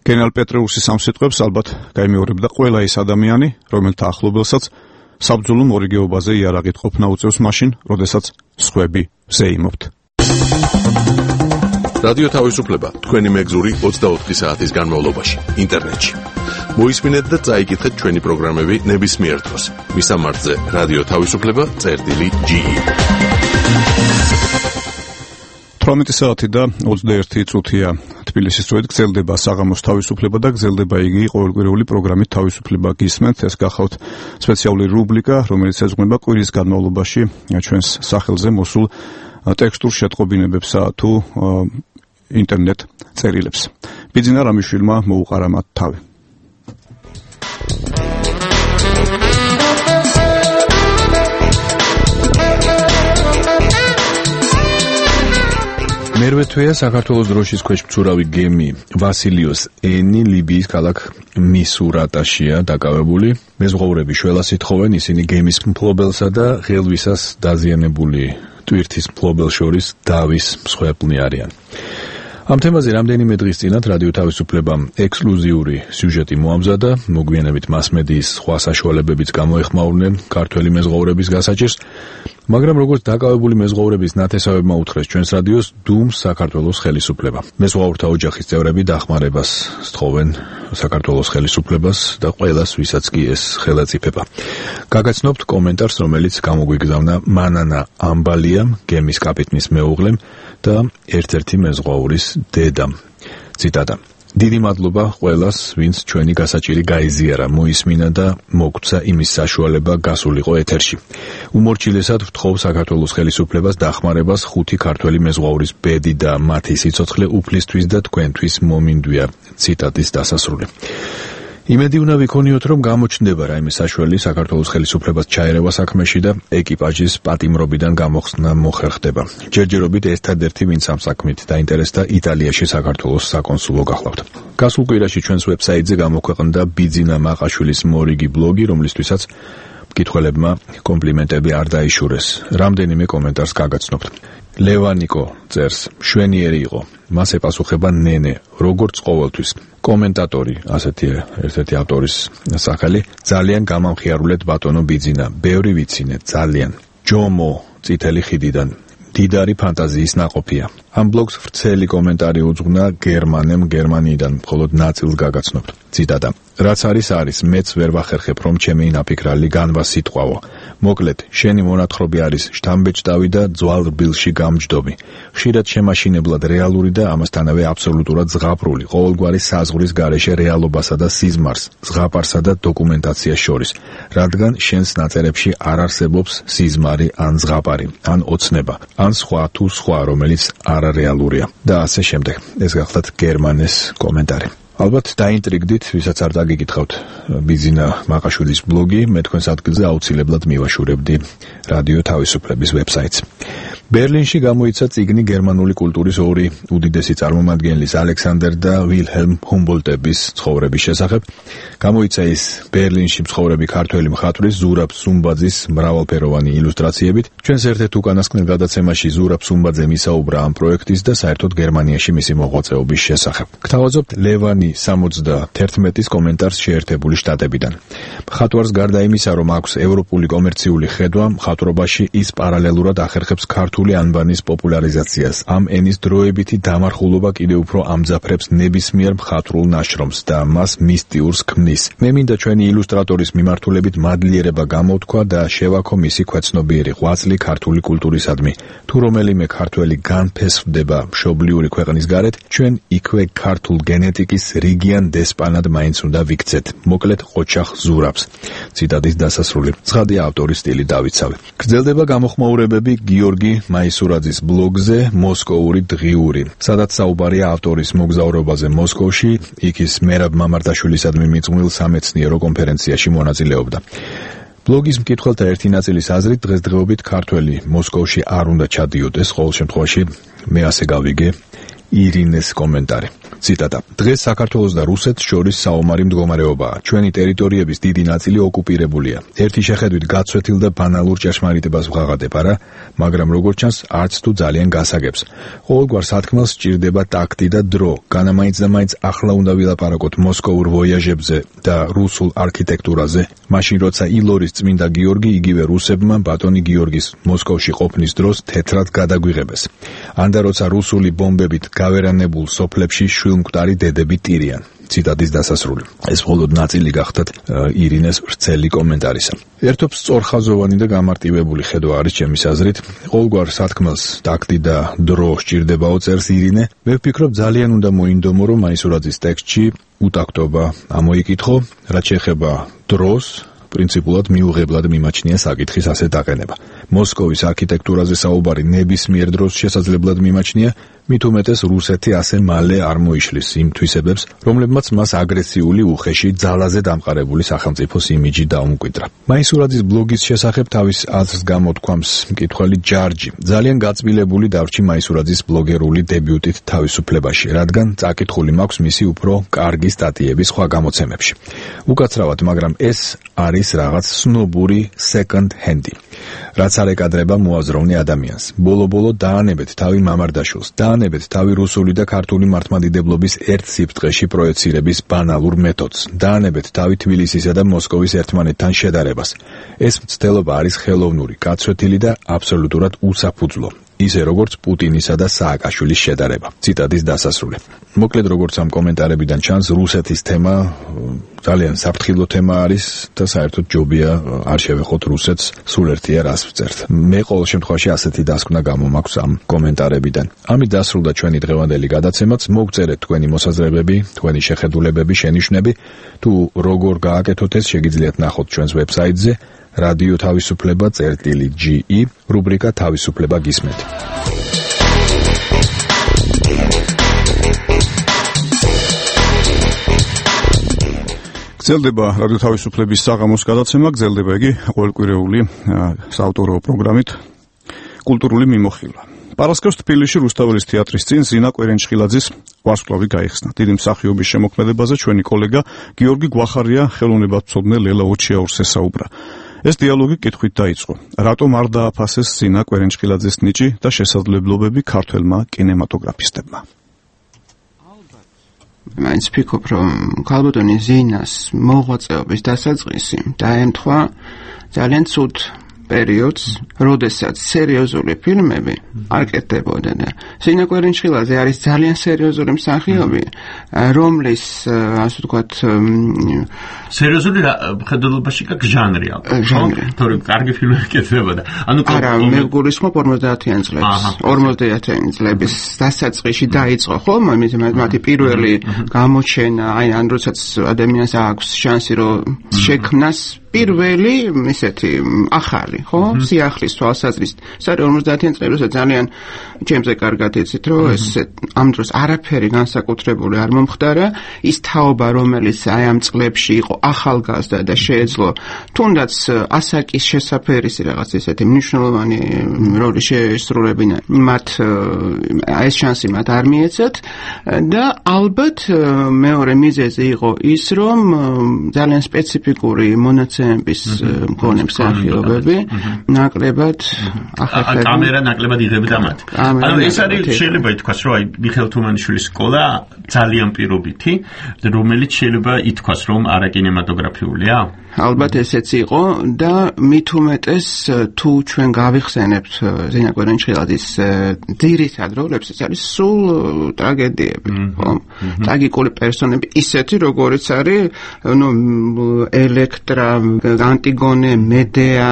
გენერალ პეტრეუსის ამ სიტყვებს ალბათ გაიმეორებდა ყველა ის ადამიანი, რომელთა ახლობელსაც საბრძოლო მორიგეობაზე იარაღით ყოფნა უწევს მაშინ, როდესაც სხვები ზეიმობთ. რადიო თავისუფლება თქვენი მეგზური 24 საათის განმავლობაში ინტერნეტში. მოისმინეთ და წაიკითხეთ ჩვენი პროგრამები ნებისმიერ დროს. მისამართზე რადიო თავისუფლება.ge 18 საათი და 21 წუთია თბილისის დროით გრძელდება საღამოს თავისუფლება და გრძელდება იგი ყოველკვირეული პროგრამით თავისუფლება გისმენთ. ეს გახავთ სპეციალური რუბრიკა, რომელიც ეძღვნება კვირის განმავლობაში ჩვენს სახელზე მოსულ ტექსტურ შეტყობინებებსა თუ ინტერნეტ წერილებს. ბიძინა რამიშვილმა მოუყარა მათ თავი. მერვე თვეა საქართველოს დროშის ქვეშ მცურავი გემი ვასილიოს ენი ლიბიის ქალაქ მისურატაშია დაკავებული. მეზღვაურები შველას ითხოვენ, ისინი გემის მფლობელსა და ღელვისას დაზიანებული ტვირთის მფლობელს შორის დავის მსხვერპლნი არიან. ამ თემაზე რამდენიმე დღის წინათ რადიო თავისუფლებამ ექსკლუზიური სიუჟეტი მოამზადა, მოგვიანებით მასმედიის სხვა საშუალებებიც გამოეხმაურნენ ქართველი მეზღვაურების გასაჭირს, მაგრამ როგორც დაკავებული მეზღვაურების ნათესავებმა უთხრეს ჩვენს რადიოს, დუმს საქართველოს ხელისუფლება. მეზღვაურთა ოჯახის წევრები დახმარებას სთხოვენ საქართველოს ხელისუფლებას და ყველას, ვისაც კი ეს ხელაწიფება. გაგაცნობთ კომენტარს, რომელიც გამოგვიგზავნა მანანა ამბალიამ, გემის კაპიტნის მეუღლემ და ერთ-ერთი მეზღვაურის დედამ. ციტატა: დიდი მადლობა ყველას, ვინც ჩვენი გასაჭირი გაიზიარა, მოისმინა და მოგცა იმის საშუალება გასულიყო ეთერში. უმორჩილესად ვთხოვ საქართველოს ხელისუფლებას დახმარებას 5 ქართველი მეზღვაურის ბედი და მათი სიცოცხლე უფლისთვის და თქვენთვის მომინდვია. ციტატის დასასრული. იმედი უნდა ვიქონიოთ, რომ გამოჩნდება რაიმე საშუალება საქართველოს ხელისუფლებას ჩაერევა საქმეში და ეკიპაჟის პატიმრობიდან გამოხსნა მოხერხდება. ჯერჯერობით ერთადერთი, ვინც ამ საქმით დაინტერესდა, იტალიაში საქართველოს საკონსულო გახლავთ. გასულ კვირაში ჩვენს ვებსაიტზე გამოქვეყნდა ბიძინა მაყაშვილის მორიგი ბლოგი, რომლისთვისაც მკითხველებმა კომპლიმენტები არ დაიშურეს. რამდენიმე კომენტარს გაგაცნობთ. ლევანიკო წერს: შვენიერი იყო. მას ეპასუხება ნენე, როგორც ყოველთვის. კომენტატორი, ასეთია ერთ-ერთი ავტორის სახელი, ძალიან გამამხიარულეთ ბატონო ბიძინა, ბევრი ვიცინე, ძალიან. ჯომო წითელი ხიდიდან, დიდარი ფანტაზიის ნაყოფია. ამ ბლოგს ვრცელი კომენტარი უძღვნა გერმანემ გერმანიიდან, მხოლოდ ნაწილს გაგაცნობთ. ციტატა: რაც არის არის, მეც ვერ ვახერხებ, რომ ჩემი ნაფიქრალი განვა სიტყვაო. მოკლედ, შენი მონათხრობი არის შთამბეჭდავი და ძვალ რბილში გამჯდომი. ხშირად შემაშინებლად რეალური და ამასთანავე აბსოლუტურად ზღაპრული, ყოველგვარი საზღვრის გარეშე რეალობასა და სიზმარს, ზღაპარსა და დოკუმენტაციას შორის, რადგან შენს ნაწერებში არ არსებობს სიზმარი ან ზღაპარი, ან ოცნება, ან სხვა თუ სხვა, რომელიც არარეალურია და ასე შემდეგ. ეს გახლავთ გერმანეს კომენტარი. ალბათ დაინტრიგდით, ვისაც არ დაგიკითხავთ ბიზინა მაყაშვილის ბლოგი, მე თქვენს ადგილზე აუცილებლად მივაშურებდი რადიო თავისუფლების ვებსაიტს. ბერლინში გამოიცა წიგნი გერმანული კულტურის ორი უდიდესი წარმომადგენლის ალექსანდერ და ვილჰელმ ჰუმბოლტების ცხოვრების შესახებ. გამოიცა ის ბერლინში მცხოვრები ქართველი მხატვრის ზურაბ სუმბაძის მრავალფეროვანი ილუსტრაციებით. ჩვენს ერთ-ერთ უკანასკნელ გადაცემაში ზურაბ სუმბაძემ ისაუბრა ამ პროექტის და საერთოდ გერმანიაში მისი მოღვაწეობის შესახებ. გთავაზობთ ლევანი 71-ის კომენტარს შეერთებული შტატებიდან. მხატვარს გარდა იმისა, რომ აქვს ევროპული კომერციული ხედვა, მხატვრობაში ის პარალელურად ახერხებს ქართული ანბანის პოპულარიზაციას. ამ ენის დროებითი დამარხულობა კიდევ უფრო ამძაფრებს ნებისმიერ მხატვრულ ნაშრომს და მას მისტიურს ქმნის. მე მინდა ჩვენი ილუსტრატორის მიმართულებით მადლიერება გამოვთქვა და შევაქო მისი ქვეცნობიერი ღვაწლი ქართული კულტურისადმი. თუ რომელიმე ქართველი განფესვდება მშობლიური ქვეყნის გარეთ, ჩვენ იქვე ქართულ გენეტიკის რიგიან დესპანად მაინც უნდა ვიქცეთ. მოკლედ ყოჩახ ზურაბს. ციტატის დასასრული. ცხადია ავტორის სტილი დავიცავე. გრძელდება გამოხმაურებები გიორგი მაისურაძის ბლოგზე მოსკოვური დღიური, სადაც საუბარია ავტორის მოგზაურობაზე მოსკოვში, იქ ის მერაბ მამარდაშვილისადმი მიძღვნილ სამეცნიერო კონფერენციაში მონაწილეობდა. ბლოგის მკითხველთა ერთი ნაწილის აზრით დღესდღეობით ქართველი მოსკოვში არ უნდა ჩადიოდეს, ყოველ შემთხვევაში მე ასე გავიგე ირინეს კომენტარი. ციტატა. დღეს საქართველოს და რუსეთს შორის საომარი მდგომარეობაა. ჩვენი ტერიტორიების დიდი ნაწილი ოკუპირებულია. ერთი შეხედვით გაცვეთილ და ბანალურ ჭეშმარიტებას ვღაღადებ, არა, მაგრამ როგორც ჩანს, არც თუ ძალიან გასაგებს. ყოველგვარ სათქმელს სჭირდება ტაქტი და დრო. განამაინც და მაინც ახლა უნდა ვილაპარაკოთ მოსკოვურ ვოიაჟებზე და რუსულ არქიტექტურაზე. მაშინ როცა ილორის წმინდა გიორგი იგივე რუსებმა ბატონი გიორგის მოსკოვში ყოფნის დროს თეთრად გადაგვიღებეს. ანდა როცა რუსული ბომბებით გავერანებულ სოფლებში შვილმკვდარი დედები ტირიან. ციტატის დასასრული. ეს მხოლოდ ნაწილი გახდათ ირინეს ვრცელი კომენტარისა. ერთობს სწორხაზოვანი და გამარტივებული ხედვა არის ჩემის აზრით. ყოველგვარ სათქმელს ტაქტი და დრო სჭირდებაო, წერს ირინე. მე ვფიქრობ ძალიან უნდა მოინდომო, რომ მაისურაძის ტექსტში უტაქტობა ამოიკითხო, რაც შეეხება დროს პრინციპულად მიუღებლად მიმაჩნია საკითხის ასეთ აყენება. მოსკოვის არქიტექტურაზე საუბარი ნებისმიერ დროს შესაძლებლად მიმაჩნია, მით უმეტეს რუსეთი ასე მალე არ მოიშლის იმ თვისებებს, რომლებმაც მას აგრესიული, უხეში, ძალაზე დამყარებული სახელმწიფოს იმიჯი დაუმკვიდრა. მაისურაძის ბლოგის შესახებ თავის აზრს გამოთქვამს მკითხველი ჯარჯი. ძალიან გაწმილებული დავრჩი მაისურაძის ბლოგერული დებიუტით თავისუფლებაში, რადგან წაკითხული მაქვს მისი უფრო კარგი სტატიები სხვა გამოცემებში. უკაცრავად, მაგრამ ეს არის რაღაც სნობური second hand-ი. რაც არ ეკადრება მოაზროვნე ადამიანს. ბოლო-ბოლო დაანებეთ თავი მამარდაშვილს, დაანებეთ თავი რუსული და ქართული მართლმადიდებლობის ერთ სიფტყეში პროექცირების ბანალურ მეთოდს, დაანებეთ თავი თბილისისა და მოსკოვის ერთმანეთთან შედარებას. ეს მცდელობა არის ხელოვნური, გაცვეთილი და აბსოლუტურად უსაფუძვლო. ისე როგორც პუტინისა და სააკაშვილის შედარება. ციტატის დასასრული. მოკლედ როგორც ამ კომენტარებიდან ჩანს, რუსეთის თემა ძალიან საფრთხილო თემა არის და საერთოდ ჯობია არ შევეხოთ რუსეთს, სულ ერთია რას ვწერთ. მე ყოველ შემთხვევაში ასეთი დასკვნა გამომაქვს ამ კომენტარებიდან. ამით დასრულდა ჩვენი დღევანდელი გადაცემაც. მოგწერეთ თქვენი მოსაზრებები, თქვენი შეხედულებები, შენიშვნები. თუ როგორ გააკეთოთ ეს, შეგიძლიათ ნახოთ ჩვენს ვებსაიტზე რადიო თავისუფლება წერტილი.ge რუბრიკა თავისუფლება გისმენთ. გრძელდება რადიო თავისუფლების საღამოს გადაცემა, გრძელდება იგი ყოველკვირეული საავტორო პროგრამით კულტურული მიმოხილვა. პარასკევს თბილისში რუსთაველის თეატრის წინ ზინა კვერენჭხილაძის ვარსკვლავი გაიხსნა. დიდი მსახიობის შემოქმედებაზე ჩვენი კოლეგა გიორგი გვახარია ხელოვნებათმცოდნე ლელა ოჩიაურს ესაუბრა. ეს დიალოგი კითხვით დაიწყო. რატომ არ დააფასეს ზინა კვერენჭხილაძის ნიჭი და შესაძლებლობები ქართველმა კინემატოგრაფისტებმა? მაინც ვფიქრობ, რომ ქალბატონი ზინას მოღვაწეობის დასაწყისი დაემთხვა ძალიან ცუდ პერიოდს, როდესაც სერიოზული ფილმები არ კეთდებოდა და ზენა კვერინჩხილაძე არის ძალიან სერიოზული მსახიობი, რომლის ასე ვთქვათ სერიოზული ხედულობაში კ ჟანრია. თორე კარგი ფილმები კეთდებოდა. არა, მე გულისხმობ 50-იან წლებს. 50-იან წლების დასაწყისში დაიწყო ხომ მათი პირველი გამოჩენა, ან როდესაც ადამიანს აქვს შანსი რომ შექმნას პირველი ისეთი ახალი, ხო? სიახლის თვალსაზრისით. საერთოდ 50-იან წლებში ძალიან ჩემზე კარგად იცით, რომ ეს ამ დროს არაფერი განსაკუთრებული არ მომხდარა, ის თაობა, რომელიც აი ამ წლებში იყო ახალგაზრდა და შეეძლო თუნდაც ასაკის შესაფერისი რაღაც ისეთი მნიშვნელოვანი როლი შეესრულებინა, მათ ეს შანსი მათ არ მიეცათ და ალბათ მეორე მიზეზი იყო ის, რომ ძალიან სპეციფიკური მონაცემების მქონე მსახიობები ნაკლებად ახერხებდნენ. კამერა ნაკლებად იღებდა მათ. ანუ ეს არის შეიძლება ითქვას, რომ აი მიხეილ თუმანიშვილის სკოლა ძალიან პირობითი, რომელიც შეიძლება ითქვას, რომ არაკინემატოგრაფიულია. ალბათ ესეც იყო და მით უმეტეს თუ ჩვენ გავიხსენებთ ზენა კვერინჩხილაძის ძირითად როლებს, ეს არის სულ ტრაგედიები, ხო? ტრაგიკული პერსონები, ისეთი როგორიც არის, ნუ ელექტრა, ანტიგონე, მედეა,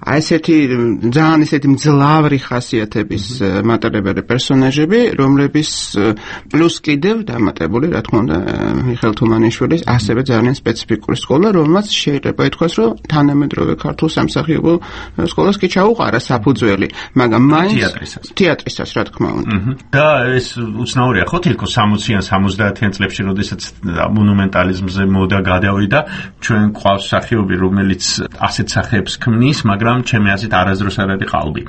აი ესეთი ძალიან ესეთი მძლავრი ხასიათების მატარებელი პერსონაჟები, რომლების პლუს კიდევ დამატებული, რა თქმა უნდა, მიხეილ თუმანიშვილის ასევე ძალიან სპეციფიკური სკოლა, რომელმაც შეიძლება ითქვას, რომ თანამედროვე ქართულ სამსახიობო სკოლას კი ჩაუყარა საფუძველი, მაგრამ მაინც თეატრისაც, რა თქმა უნდა. და ეს უცნაურია, ხო, თილკო 60-იან 70-იან წლებში, როდესაც მონუმენტალიზმზე მოდა გადავიდა, ჩვენ ყავს მსახიობი, რომელიც ასეთ სახეებს ქმნის, მაგრამ ჩემი აზრით არასდროს არ არის ყალბი.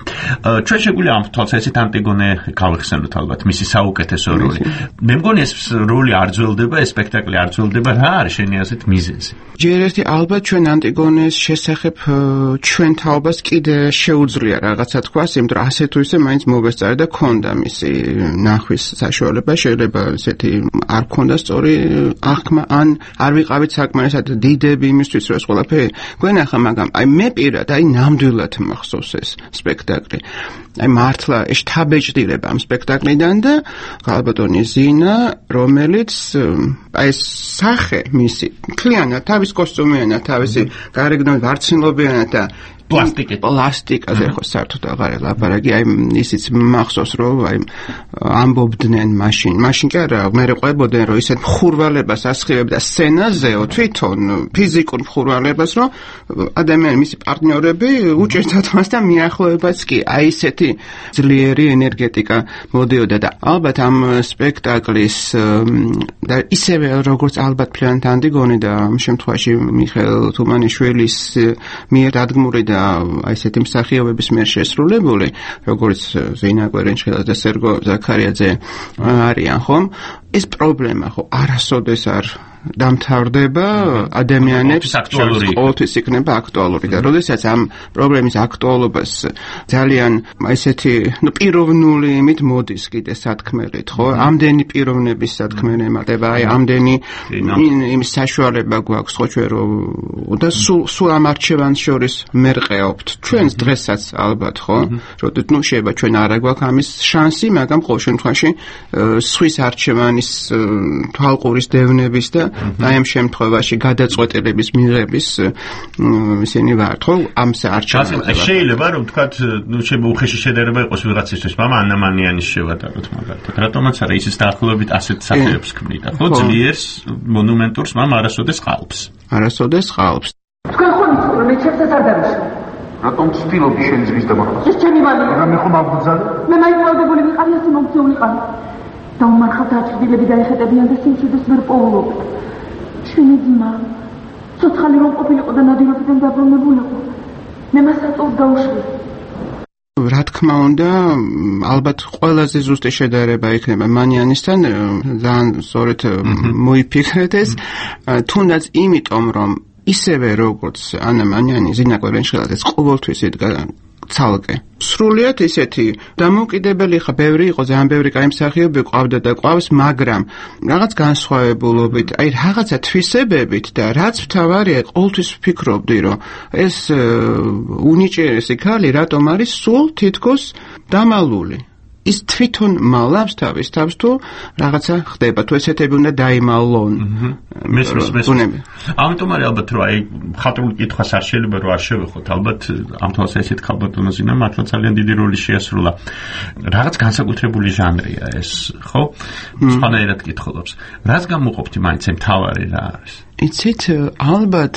ჩვენ შეგვიძლია ამ თვალსაზრისით ანტიგონე გავიხსენოთ ალბათ, მისი საუკეთესო როლი. მე მგონი ეს როლი არ ძველდება, ეს სპექტაკლი არ ძველდება, რა არის შენი აზრით მიზეზი? ჯერ ერთი ალბათ ჩვენ ანტიგონეს შესახებ ჩვენ თაობას კიდე შეუძლია რაღაცა თქვას, იმიტომ რომ ასე თუ ისე მაინც მოვესწარე და ქონდა მისი ნახვის საშუალება, შეიძლება ესეთი არ ქონდა სწორი აღქმა, ან არ ვიყავით საკმარისად დიდები იმისთვის, რომ ეს ყველაფერი გვენახა, მაგრამ აი მე პირად აი ნამდვილად მახსოვს ეს სპექტაკლი. აი მართლა შთაბეჭდილება ამ სპექტაკლიდან და ქალბატონი ზინა, რომელიც აი ეს სახე მისი მთლიანად თავის კოსტუმიანად, თავისი გარეგნობით ვარცნილობიანად და პლასტიკაზე ხო საერთოდ აღარ ელაპარაკი, აი ისიც მახსოვს, რომ აი ამბობდნენ მაშინ კი არა, მე ყვებოდნენ, რომ ისეთ მხურვალებას ასხივებდა სცენაზეო თვითონ ფიზიკურ მხურვალებას, რომ ადამიანი მისი პარტნიორები უჭერდათ მას და მიახლოებაც კი, აი ისეთი ძლიერი ენერგეტიკა მოდიოდა და ალბათ ამ სპექტაკლის და ისევე როგორც ალბათ ფლიანთ ანტიგონე და ამ შემთხვევაში მიხეილ თუმანიშვილის მიერ დადგმური და აი ესეთი მსახიობების მიერ შესრულებული, როგორც ზენა კვერინჩხილაძე და სერგო ზაქარიაძე არიან, ხომ? ეს პრობლემა ხო არასოდეს არ დამთავრდება ადამიანებს ყოველთვის იქნება აქტუალური და როდესაც ამ პრობლემის აქტუალობას ძალიან ესეთი პიროვნული იმით მოდის კიდე სათქმელით, ხო? ამდენი პიროვნების სათქმელი ემატება, აი ამდენი იმის საშუალება გვაქვს, ხო, ჩვენ რომ და სულ ამ არჩევანს შორის მერყეობთ. ჩვენს დღესაც ალბათ, ხო? როდესაც შეიძლება ჩვენ არ გვაქვს ამის შანსი, მაგრამ ყოველ შემთხვევაში სხვის არჩევანის თვალყურის დევნების და აი ამ შემთხვევაში გადაწყვეტილების მიღების ისინი ვართ, ხო? ამ არჩევანს. შეიძლება რომ თქვათ, შეიძლება უხეში შედარება იყოს ვიღაცისთვის, მაგრამ ანამანიანის შევატაროთ მაგალითად. რატომაც არა ისიც დაახლოებით ასეთ სახეებს ქმნიდა, ხო? ძლიერს მონუმენტურს, მაგრამ არასოდეს ყალბს. არასოდეს ყალბს. თქვენ ხომ იცით, რომ მე ჩემს არ დავიშვა. რატომ ცდილობდი შენ ძმის დამახმას? ეს ჩემი მამია. მაგრამ მე ხომ ამბუძალე? მე მაიყვავდებული ვიყავი, ასე მომწეულიყავი. დაუმარხავთ აჩრდილები დაეხეტებიან და სიმშვიდეს ვერ პოულობთ. ჩვენი ძმა ცოცხალი რომ ყოფილიყო და ნადირობიდან დაბრუნებულიყო, მე მას აწოდ დაუშვი. რა თქმა უნდა, ალბათ ყველაზე ზუსტი შედარება იქნება მანიანისთან, ძალიან სწორედ მოიფიქრეთ ეს, თუნდაც იმიტომ, რომ ისევე როგორც ანა მანიანი, ზინა კვერინჩხილაძე ყოველთვის იდგა ცალკე. სრულიად ისეთი დამოუკიდებელი ხა ბევრი იყო, ძალიან ბევრი კაი მსახიობი ყავდა და ყავს, მაგრამ რაღაც განსხვავებულობით, აი რაღაცა თვისებებით და რაც მთავარია, ყოველთვის ვფიქრობდი, რომ ეს უნიჭიერესი ქალი რატომ არის სულ თითქოს დამალული. ის თვითონ მალავს თავის თავს თუ რაღაცა ხდება, თუ ესეთები უნდა დაიმალონ. მესმის. ამიტომ არის ალბათ რომ აი ხატრული კითხვას არ შეიძლება რომ არ შევეხოთ, ალბათ ამ თვალს ესეთ ქალბატონოზინა მართლა ძალიან დიდი როლი შეასრულა. რაღაც განსაკუთრებული ჟანრია ეს, ხო? სხვანაირად კითხულობს. რაც გამოყოფთ მაინც ამ თავარი რა არის? იცით, ალბათ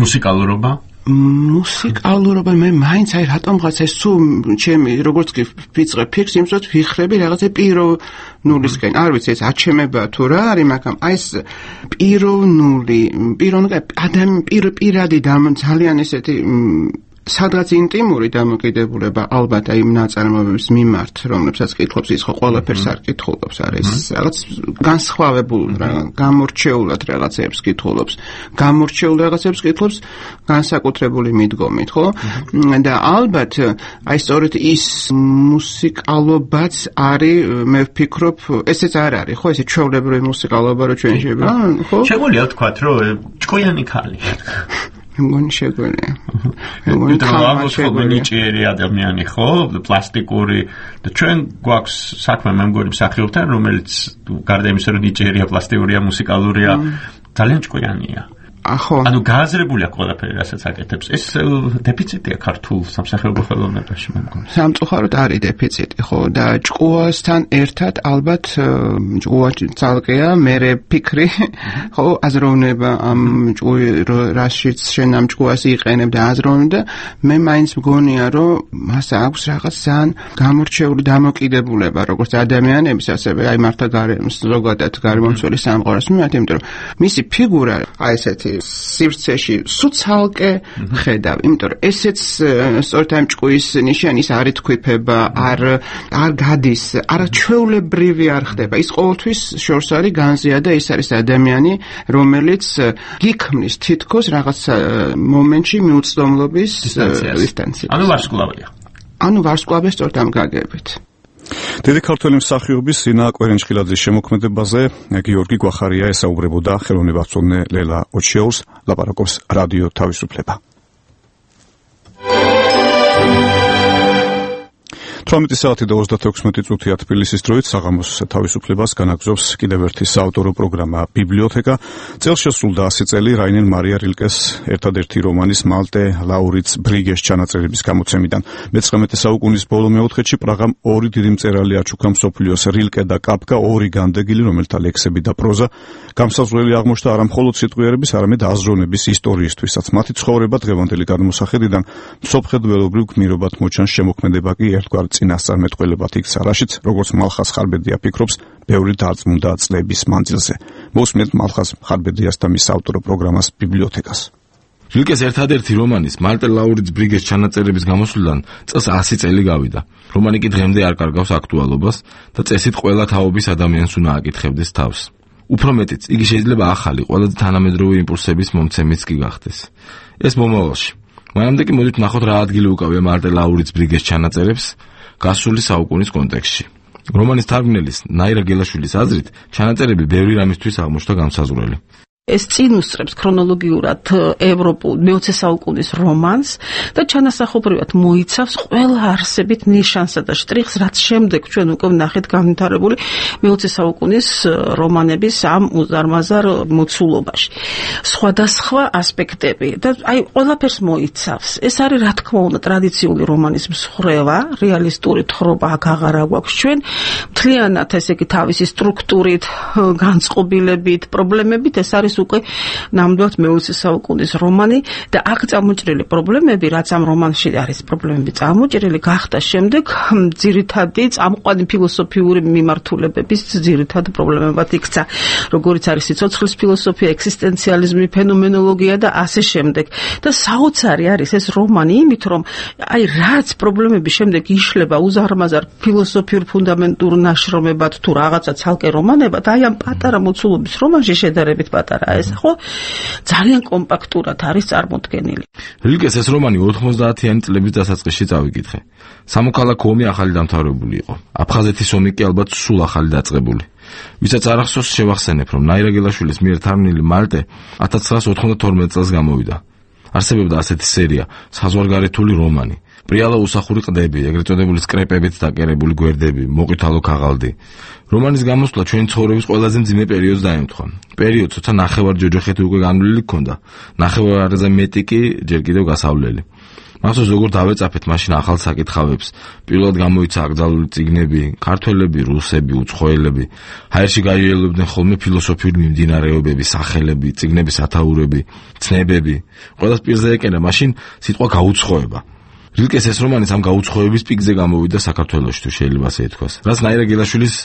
მუსიკალურობა მუსიკალურობა მე მაინც აი რატომღაც ეს თუ ჩემი როგორც კი ვიწყებ ფიქრს იმსოთ ვიხრები რაღაცა პიროვნულისკენ არ ვიცი ეს აჩემება თუ რა არის მაგრამ აი ეს პირადი ძალიან ესეთი სადღაც ინტიმური დამოკიდებულება ალბათ აი ნაწარმოებების მიმართ რომლებსაც კითხობს ის ხო ყველაფერს არ კითხულობს არის რაღაც განსხვავებულ გამორჩეულად რაღაცებს კითხულობს განსაკუთრებული მიდგომით ხო და ალბათ აი სწორედ ის მუსიკალობაც არის მე ვფიქრობ ესეც არ არის ხო ესე ჩვეულებრივი მუსიკალობა რო ჩვენ შეიძლება ხო შეგვიძლია ვთქვათ რომ ჭკვიანი ქალი მგონი შეგვიძლია. ნიჭიერი ადამიანი ხო, პლასტიკური და ჩვენ გვაქვს საქმე მე მგონი მსახიობთან, რომელიც გარდა იმისა, რომ ნიჭიერია, პლასტიკურია, მუსიკალურია, ძალიან ჭკვიანია. ანუ გააზრებულია ყველაფერი, რასაც აკეთებს. ეს დეფიციტია ქართულ სამსახიობო ხელოვნებაში, მე მგონი. სამწუხაროდ არის დეფიციტი, ხო, და ჭკუასთან ერთად ალბათ ჭკუა ცალკეა, მერე ფიქრი, ხო, აზროვნება ამ რაშიც შენ ამ ჭკუას იყენებ და აზროვნება, მე მაინც მგონია, რომ მას აქვს რაღაც ძალიან გამორჩეული დამოკიდებულება, როგორც ადამიანების, ასევე აი მართლა ზოგადად გარემომცველი სამყაროს მიმართ, იმიტომ რომ მისი ფიგურა აი ესეთი სივრცეში სუცალკე ხედავ, იმიტომ რომ ესეც სწორედ ამ ჭკუის ნიშანი ის არ ითქვიფება, არ გადის, არაჩვეულებრივი არ ხდება. ის ყოველთვის შორს არის განზია და ის არის ადამიანი, რომელიც გიქმნის თითქოს რაღაც მომენტში მიუწვდომლობის დისტანციას. ანუ ვარსკვლავია სწორედ ამ გაგებით. დიდი ქართველი მსახიობის სინა კვერენჭხილაძის შემოქმედებაზე გიორგი გვახარია ესაუბრებოდა ხელოვნებაცოდნე ლელა ოჩიაურს, ლაპარაკობს რადიო თავისუფლება. 18 საათი და 36 წუთია თბილისის დროით საღამოს თავისუფლებას განაგზობს კიდევ ერთი საავტორო პროგრამა ბიბლიოთეკა. წელს შესრულდა 100 წელი რაინენ მარია რილკეს ერთადერთი რომანის მალტე ლაურიც ბრიგეს ჩანაწერების გამოცემიდან. მე-19 საუკუნის ბოლო მეოთხედში პრაღამ ორი დიდი მწერალი აჩუქა მსოფლიოს რილკე და კაფკა, ორი განდეგილი, რომელთა ლექსები და პროზა გამსაზღვრელი აღმოჩნდა არა მხოლოდ სიტყვიერების, არამედ აზროვნების ისტორიისთვისაც. მათი ცხოვრება დღევანდელი გადმოსახედიდან მსოფლმხედველობრივ გმირობად მოჩანს, შემოქმედება კი ერთგვარ წინასწარმეტყველებად იქცა, რაშიც როგორც მალხას ხარბედია ფიქრობს, ბევრი დარწმუნდა წლების მანძილზე. მოусმენთ მალხას ხარბედიას და მის ავტორო პროგრამას ბიბლიოთეკას. რილკეს ერთადერთი რომანის მალტე ლაურიც ბრიგეს ჩანაწერების გამოსვლიდან წელს 100 წელი გავიდა. რომანი კი დღემდე არ კარგავს აქტუალობას და წესით ყველა თაობის ადამიანს უნდა აკითხებდეს თავს. უფრო მეტიც, იგი შეიძლება ახალი, ყველაზე თანამედროვე იმპულსების მომცემიც კი გახდეს. ეს მომავალში. მანამდე კი მოდით ნახოთ რა ადგილი უკავია მალტე ლაურიც ბრიგეს ჩანაწერებს გასული საუკუნის კონტექსტში. რომანის თარგმნელის ნაირა გელაშვილის აზრით, ჩანაწერები ბევრი რამისთვის აღმოჩნდა განსაზღვრელი. ეს წინ უსწრებს ქრონოლოგიურად ევროპულ მე-20 საუკუნის რომანს და ჩანასახობრივად მოიცავს ყველა არსებით ნიშანსა და შტრიხს, რაც შემდეგ ჩვენ უკვე ვნახეთ განვითარებული მე-20 საუკუნის რომანების ამ უზარმაზარ მოცულობაში. სხვადასხვა ასპექტები და აი ყველაფერს მოიცავს. ეს არის რა თქმა უნდა ტრადიციული რომანის მსხვერპლობა, რეალისტური თხრობა აქ აღარ აქვს ჩვენ. მთლიანად ესე იგი თავისი სტრუქტურით, განწყობილებით, პრობლემებით ეს არის უკვე ნამდვილად მე-20 საუკუნის რომანი და აქ წამოჭრილი პრობლემები, რაც ამ რომანში არის პრობლემები წამოჭრილი, გახდა შემდეგ ძირითადი წამყვანი ფილოსოფიური მიმართულებების ძირითად პრობლემებად იქცა, როგორიც არის სიცოცხლის ფილოსოფია, ექსისტენციალიზმი, ფენომენოლოგია და ასე შემდეგ. და საოცარი არის ეს რომანი იმით, რომ აი რაც პრობლემები შემდეგ იშლება უზარმაზარ ფილოსოფიურ ფუნდამენტურ ნაშრომებად თუ რაღაცა ცალკე რომანებად, აი ამ პატარა მოცულობის რომანში შედარებით პატარა არა ეს, ხო? ძალიან კომპაქტურად არის წარმოდგენილი. რილკეს ეს რომანი 90-იანი წლების დასაწყისში წავიკითხე. სამოქალაქო ომი ახალი დამთავრებული იყო. აფხაზეთის ომი კი ალბათ სულ ახალი დაწყებული. ვისაც არ ახსოვს შევახსენებ, რომ ნაირა გელაშვილის მიერ თარგმნილი მალტე 1992 წელს გამოვიდა. არსებობდა ასეთი სერია, საზღვარგარეთული რომანი. პრიალა უსახური ყდები, ეგრეთ წოდებული სკრეპებით დაკერებული გვერდები, მოყვითალო ქაღალდი. რომანის გამოსვლა ჩვენი ცხოვრების ყველაზე მძიმე პერიოდს დაემთხვა. პერიოდს, როცა ნახევარ ჯოჯოხეთი უკვე განვლილი ჰქონდა, ნახევარზე მეტი კი ჯერ კიდევ გასავლელი. მახსოვს როგორ დავეწაფეთ მაშინ ახალ საკითხავებს. პირველად გამოიცა აკრძალული წიგნები, ქართველები, რუსები, უცხოელები. ჰაერში გაიელოდნენ ხოლმე ფილოსოფიური მიმდინარეობები, სახელები, წიგნების ათაურები, ცნებები. ყველას პირზე ეკენა მაშინ სიტყვა გაუცხოება. რილკეს ეს რომანიც ამ გაუცხოების პიკზე გამოვიდა საქართველოში, თუ შეიძლება ასე ითქვას. რაც ნაირა გელაშვილის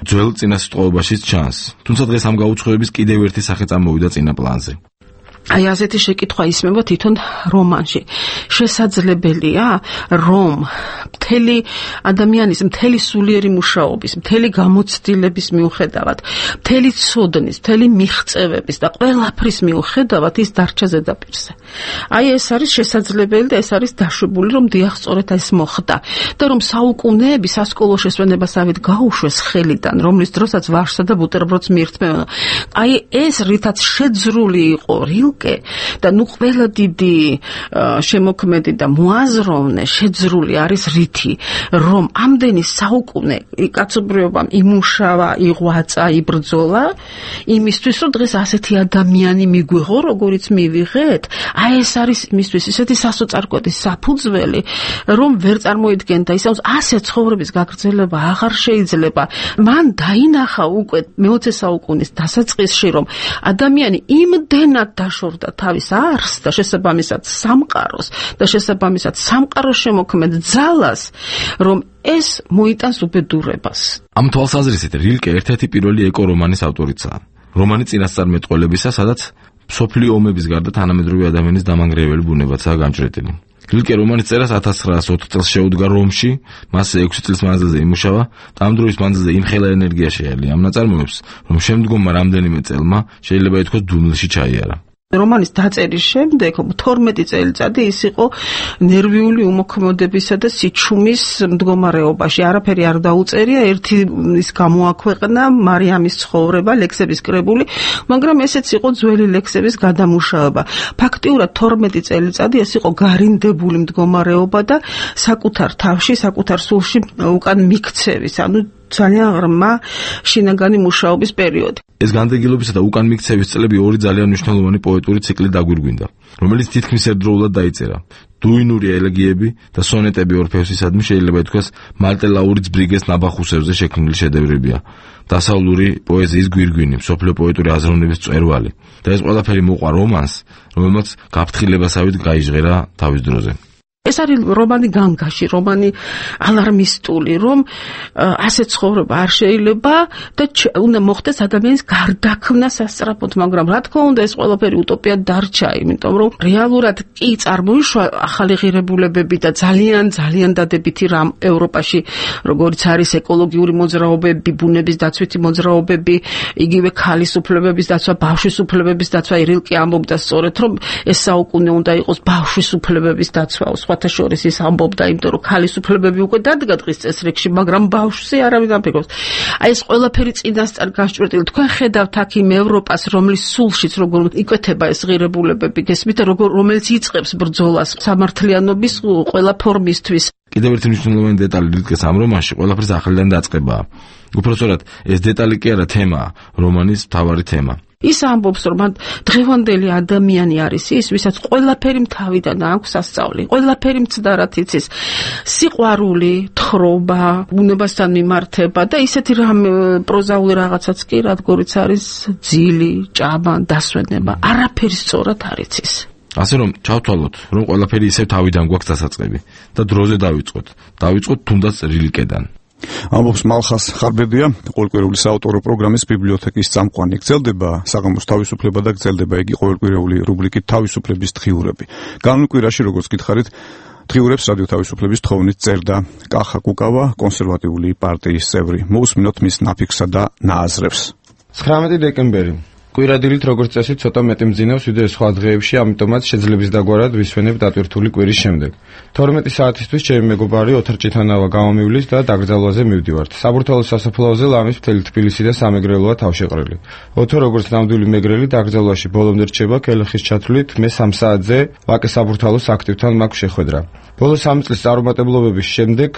ძველ წინასიტყვაობაშიც ჩანს. თუმცა დღეს ამ გაუცხოების კიდევ ერთი სახე წამოვიდა წინა პლანზე. აი ასეთი შეკითხვა ისმება თვითონ რომანში. შესაძლებელია, რომ მთელი ადამიანის, მთელი სულიერი მუშაობის, მთელი გამოცდილების მიუხედავად, მთელი ცოდნის, მთელი მიღწევების და ყველაფრის მიუხედავად ის დარჩა ზედაპირზე. აი ეს არის შესაძლებელი და ეს არის დაშვებული, რომ დიახ, სწორედ ეს მოხდა და რომ საუკუნეები სასკოლო შესვენებასავით გაუშვეს ხელიდან, რომლის დროსაც ვარშსა და ბუტერბროდს მიირთმევენ. აი ეს რითაც შეძრული იყო და ნუ ყველა დიდი შემოქმედი და მოაზროვნე შეძრული არის რითი, რომ ამდენი საუკუნე კაცობრიობამ იმუშავა, იღვაწა, იბრძოლა იმისთვის, რომ დღეს ასეთი ადამიანი მიგვიღო, როგორიც მივიღეთ. აი ეს არის იმისთვის ისეთი სასოწარკვეთი საფუძველი, რომ ვერ წარმოიდგენდა ისევ ასე ცხოვრების გაგრძელება აღარ შეიძლება. მან დაინახა უკვე მე-20 საუკუნის დასაწყისში, რომ ადამიანი იმდენად დაშორდა თავის არს და შესაბამისად სამყაროს და შესაბამისად სამყაროს შემოქმედ ძალას, რომ ეს მოიტანს უბედურებას. ამ თვალსაზრისით რილკე ერთ-ერთი პირველი ეკო-რომანის ავტორიცაა. რომანი წინასწარმეტყველებისა, სადაც მსოფლიო ომების გარდა თანამედროვე ადამიანის დამანგრეველი ბუნებაცაა განჭრეტილი. რილკე რომანის წერას 1904 წელს შეუდგა რომში, მასზე 6 წლის მანძილზე იმუშავა და ამ დროის მანძილზე იმხელა ენერგია შეელია ამ ნაწარმოებს, რომ შემდგომმა რამდენიმე წელმა შეიძლება ითქვას დუმილში ჩაიარა. რომანის დაწერის შემდეგ 12 წელიწადი ის იყო ნერვიული უმოქმედებისა და სიჩუმის მდგომარეობაში. არაფერი არ დაუწერია, ერთი ის გამოაქვეყნა მარიამის ცხოვრება, ლექსების კრებული, მაგრამ ესეც იყო ძველი ლექსების გადამუშავება. ფაქტიურად 12 წელიწადი ეს იყო გარინდებული მდგომარეობა და საკუთარ თავში, საკუთარ სულში უკან მიქცევის, ანუ ძალიან ღრმა შინაგანი მუშაობის პერიოდი. ეს განდეგილობისა და უკან მიქცევის წლები ორი ძალიან მნიშვნელოვანი პოეტური ციკლი დაგვირგვინდა, რომელიც თითქმის ერთდროულად დაიწერა. დუინური ელეგიები და სონეტები ორფეოსისადმი შეიძლება ითქვას მალტე ლაურის ბრიგეს ნაბახუსებზე შექმნილი შედევრებია. დასავლური პოეზიის გვირგვინი, მსოფლიო პოეტური აზროვნების მწვერვალი და ეს ყველაფერი მოყვა რომანს, რომელმაც გაფრთხილებასავით გაიჟღერა თავის დროზე. ეს არის რომანი განგაში, რომანი ალარმისტული, რომ ასე ცხოვრება არ შეიძლება და უნდა მოხდეს ადამიანის გარდაქმნა სასწრაფოდ, მაგრამ რა თქმა უნდა ეს ყველაფერი утоპიად დარჩა, იმიტომ რომ რეალურად კი წარმოიშვა ახალი ღირებულებები და ძალიან დადებითი რამ ევროპაში, როგორც არის ეკოლოგიური მოძრაობები, ბუნების დაცვითი მოძრაობები, იგივე ქალის უფლებების დაცვა, ბავშვის უფლებების დაცვა. რილკე ამბობდა სწორედ, რომ ეს საუკუნე უნდა იყოს ბავშვის უფლებების დაცვა. შორის ის ამბობდა, იმიტომ რომ ქალის უფლებები უკვე დადგა დღის წესრიგში, მაგრამ ბავშვზე არავინ არ ფიქრობს. აი ეს ყველაფერი წინასწარ გასჭვრეტილი. თქვენ ხედავთ აქ იმ ევროპას, რომლის სულშიც როგორ იკვეთება ეს ღირებულებები, გესმით, რომელიც იწყებს ბრძოლას სამართლიანობის ყველა ფორმისთვის. კიდევ ერთი მნიშვნელოვანი დეტალი რილკეს ამ რომანში ყველაფერს ახლიდან დაწყებაა. უпростоრად ეს დეტალი კი არა თემაა, რომანის მთავარი თემა. ის ამბობს, რომ დღევანდელი ადამიანი არის ის, ვისაც ყველაფერი თავიდან აქვს სასწავლი, ყველაფერი მცდარად იცის, სიყვარული, თხრობა, ბუნებასთან მიმართება და ისეთი რამ პროზაული რაღაცაც კი, რადგორიც არის ძილი, ჭამა, დასვენება, არაფერი სწორად არ იცის. ასე რომ ჩავთვალოთ, რომ ყველაფერი ისევ თავიდან გვაქვს დასაწყები და დროზე დავიწყოთ თუნდაც რილკედან. ამბობს მალხას ხარბედია, ყოველკვირეული საავტორო პროგრამის ბიბლიოთეკის წამყვანი. გრძელდება საღამოს თავისუფლება და გრძელდება იგი ყოველკვირეული რუბრიკით თავისუფლების დღიურები. განვლილ კვირაში, როგორც გითხარით, დღიურებს რადიო თავისუფლების თხოვნით წერდა კახა კუკავა, კონსერვატიული პარტიის წევრი. მოусმინოთ მის ნაფიქსა და ნააზრებს. 19 დეკემბერი. კვირადილით როგორც წესი ცოტა მეტი მძინავს ვიდრე სხვა დღეებში, ამიტომაც შეძლებს დაგვარად ვისვენებ დატვირთული კვირის შემდეგ. 12 საათისთვის ჩემი მეგობარი ოთარ ჭითანავა გამომივლის და დაკრძალვაზე მივდივართ. საბურთალოს სასაფლაოზე ლამის მთელი თბილისი და სამეგრელოა თავშეყრილი. ოთო როგორც ნამდვილი მეგრელი დაკრძალვაში ბოლომდე რჩება კელეხის ჩათვლით, მე 3 საათზე ვაკე საბურთალოს აქტივთან მაქვს შეხვედრა. ბოლო 3 წლის წარუმატებლობების შემდეგ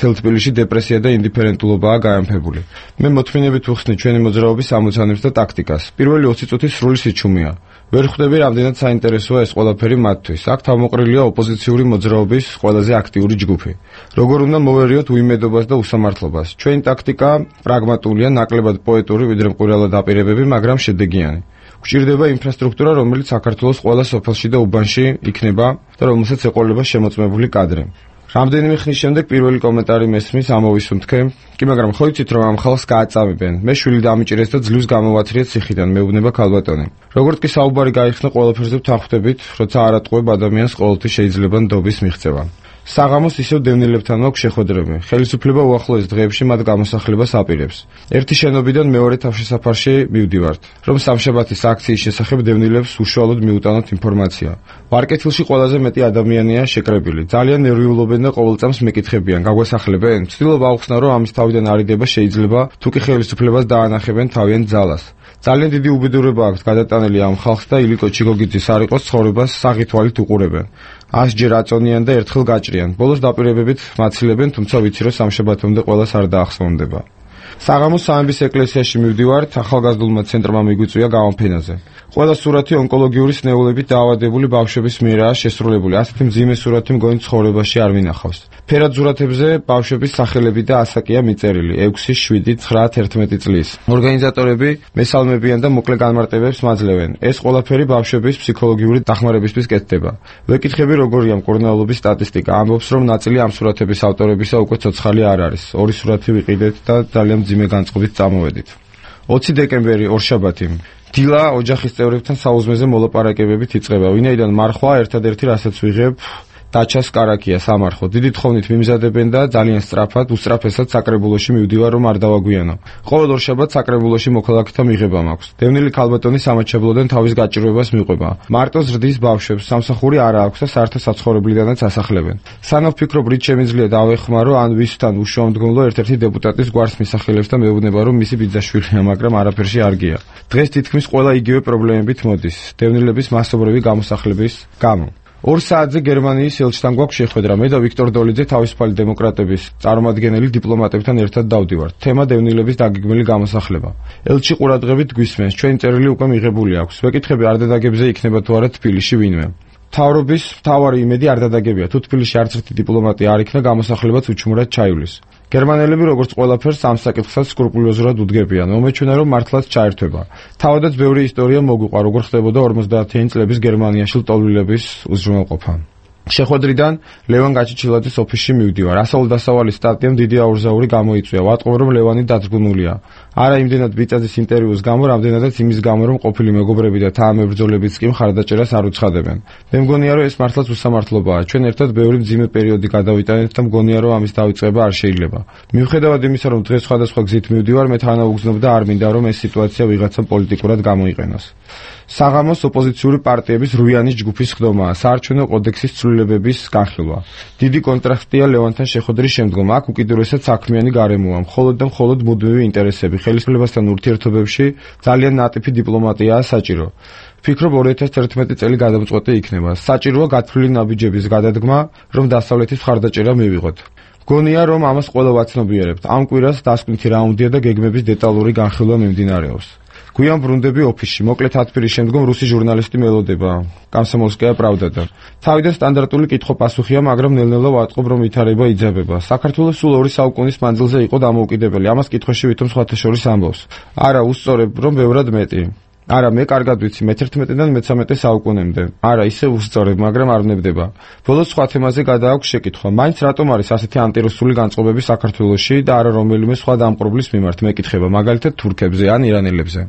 მთელ თბილისში დეპრესია და ინდიფერენტულობაა გაემფებული. მე მოთმინებით ვხსნი ჩვენი მოძრაობის ამოცანებს და ტაქტიკას. პირველი 20 წუთი სრული სიჩუმეა. ვერ ხვდები რამდენად საინტერესოა ეს ყველაფერი მათთვის. აქ თავმოყრილია ოპოზიციური მოძრაობის ყველაზე აქტიური ჯგუფი. როგორ უნდა მოვერიოთ უიმედობას და უსამართლობას. ჩვენი ტაქტიკა პრაგმატულია, ნაკლებად პოეტური, ვიდრე მყურელა დაპირებები, მაგრამ შედეგიანი. გვჭირდება ინფრასტრუქტურა, რომელიც საქართველოს ყველა სოფელში და უბანში იქნება და რომელსაც ეყოლება შემოწმებული კადრი. რამდენიმე ხნის შემდეგ პირველი კომენტარი მესმის ამოვისუნთქე, კი მაგრამ ხო იცით რომ ამ ხალხს გააწამებენ. მე შვილი დამიჭირეს და ძლივს გამოვაცრიეთ ციხიდან, მეუბნება ქალბატონი. როგორც კი საუბარი გაიხსნა ყველაფერზე ვთანხმდებით, როცა არ ატყუებ ადამიანს ყოველთვის შეიძლება ნდობის მიღწევა. საღამოს ისევ დევნილებთან მაქვს შეხვედრები. ხელისუფლება უახლოეს დღეებში მათ გამოსახლებას აპირებს. ერთი შენობიდან მეორე თავშესაფარში მივდივართ, რომ სამშაბათის აქციის შესახებ დევნილებს უშუალოდ მიუტანოთ ინფორმაცია. ვარკეთილში ყველაზე მეტი ადამიანია შეკრებილი. ძალიან ნერვიულობენ და ყოველ წამს მეკითხებიან, გაგვესახლებენ? ვცდილობ ავხსნა, რომ ამის თავიდან არიდება შეიძლება, თუ კი ხელისუფლებას დაანახებენ თავიანთ ძალას. ძალიან დიდი უბედურება აქვს გადატანილი ამ ხალხს და ილიკო ჩიგოგიძის არ იყოს ცხოვრებას საღი თვალით უყურებენ. 100 ჯერ აწონიან და ერთხელ გაჭრიან. ბოლოს დაპირებებით მაცილებენ, თუმცა ვიცი რომ სამშაბათამდე ყველას არ დაახსოვნდება. საღამოს სამების ეკლესიაში მივდივართ, ახალგაზრდულმა ცენტრმა მიგვიწვია გამოფენაზე. ყველა სურათი ონკოლოგიური სნეულებით დაავადებული ბავშვების მიერაა შესრულებული. ასეთი მძიმე სურათი მგონი ცხოვრებაში არ მინახავს. ფერად სურათებზე ბავშვების სახელები და ასაკია მიწერილი 6, 7, 9, 11 წლის. ორგანიზატორები მესალმებიან და მოკლე განმარტებებს მაძლევენ. ეს ყველაფერი ბავშვების ფსიქოლოგიური დახმარებისთვის კეთდება. ვეკითხები როგორია მკურნალობის სტატისტიკა. ამბობს რომ ნაწილი ამ სურათების ავტორებისა უკვე ცოცხალი არ არის. 2 სურათი ვიყიდეთ და ძალიან მძიმე განწყობით წამოვედით. 20 დეკემბერი ორშაბათი. დილა ოჯახის წევრებთან საუზმეზე მოლაპარაკებებით იწყება. ვინაიდან მარხვა ერთადერთი რასაც ვიღებ დაჩას კარაკია სამარხო. დიდი თხოვნით მიმზადებენ და ძალიან სწრაფად, უსწრაფესად საკრებულოში მივდივარ რომ არ დავაგვიანო. ყოველ ორშაბათს საკრებულოში მოქალაქეთა მიღება მაქვს. დევნილი ქალბატონი სამაჩაბლოდან თავის გაჭირვებას მიყვება. მარტო ზრდის ბავშვებს სამსახური არ აქვს და საერთო საცხოვრებლიდანაც ასახლებენ. სანამ ვფიქრობ რით შემიძლია დავეხმარო ან ვისთან უშუალომდგომლო ერთ-ერთი დეპუტატის გვარს მისახელებს და მეუბნება რომ მისი ბიძაშვილია, მაგრამ არაფერში არ გია. დღეს თითქმის ყველა იგივე პრობლემებით მოდის. დევნილების მასობრივი გამოსახლების გამო. 2 საათზე გერმანიის ელჩთან გვაქვს შეხვედრა. მე და ვიქტორ დოლიძე თავისუფალი დემოკრატების წარმომადგენელი დიპლომატებთან ერთად დავდივართ. თემა დევნილების დაგეგმილი გამოსახლება. ელჩი ყურადღებით გვისმენს. ჩვენი წერილი უკვე მიღებული აქვს. ვეკითხები არ დადაგებზე იქნება თუ არა თბილისში ვინმე. მთავრობის მთავარი იმედი არ დადაგებია. თუ თბილისში არც ერთი დიპლომატი არ იქნა, გამოსახლებაც უჩუმრად ჩაივლის. გერმანელები როგორც ყველაფერს ამ საკითხსაც სკრუპულოზურად უდგებიან. მომეჩვენა რომ მართლაც ჩაერთვება. თავადაც ბევრი ისტორია მოგვიყვა, როგორ ხდებოდა 50-იანი წლების გერმანიაში ლტოლვილების უზრუნველყოფა. შეხვედრიდან ლევან გაჩიჩილაძის ოფისში მივდივარ. ასაულ-დასავალის სტატიამ დიდი აურზაური გამოიწვია. ვატყობ რომ ლევანი დაწგუნულია. არა იმდენად ბიწაძის ინტერვიუს გამო, რამდენადაც იმის გამო, რომ ყოფილი მეგობრები და თანამებრძოლებიც კი მხარდაჭერას არ უცხადებენ. მე მგონია რომ ეს მართლაც უსამართლობაა. ჩვენ ერთად ბევრი მძიმე პერიოდი გადავიტანეთ და მგონია რომ ამის დავიწყება არ შეიძლება. მიუხედავად იმისა, რომ დღეს სხვადასხვა გზით მივდივარ, მე თანაუგზნობ და არ მინდა რომ ეს სიტუაცია ვიღაცამ პოლიტიკურად გამოიყენოს. საღამოს ოპოზიციური პარტიების რუიანის ჯგუფის ხდომაა, საარჩევნო კოდექსის ცვლილებების განხილვა. დიდი კონტრასტია ლევანთან შეხვედრის შემდგომ. აქ უკიდურესად საქმიანი გარემოა, მხოლოდ და მხოლოდ მუდმივი ინტერესები. ხელისუფლებასთან ურთიერთობებში ძალიან ნატიფი დიპლომატიაა საჭირო. ვფიქრობ 2011 წელი გადამწყვეტი იქნება. საჭიროა გათვლილი ნაბიჯების გადადგმა, რომ დასავლეთის მხარდაჭერა მივიღოთ. გონია რომ ამას ყველა ვაცნობიერებთ. ამ კვირას დასკვნითი რაუნდია და გეგმების დეტალური განხილვა მიმდინარეობს. გვიან ბრუნდები ოფისში. მოკლე თათბირის შემდგომ რუსი ჟურნალისტი მელოდება. კომსომოლსკაია პრავდა. თავიდან სტანდარტული კითხვა-პასუხია, მაგრამ ნელ-ნელა ვატყობ რომ ვითარება იძაბება. საქართველოს სულ 2 საუკუნის მანძილზე იყო დამოუკიდებელი. ამას კითხვაში ვითომ სხვათა შორის ამბობს. არა, უსწორებ რომ ბევრად მეტი. არა, მე კარგად ვიცი მე-11-დან მე-13 საუკუნემდე. არა, ისე უსწორებ, მაგრამ არ ვნებდება. ბოლოს სხვა თემაზე გადააქვს შეკითხვა. მაინც რატომ არის ასეთი ანტირუსული განწყობები საქართველოში და არა რომელიმე სხვა დამპყრობლის მიმართ? მეკითხება, მაგალითად თურქებზე ან ირანელებზე.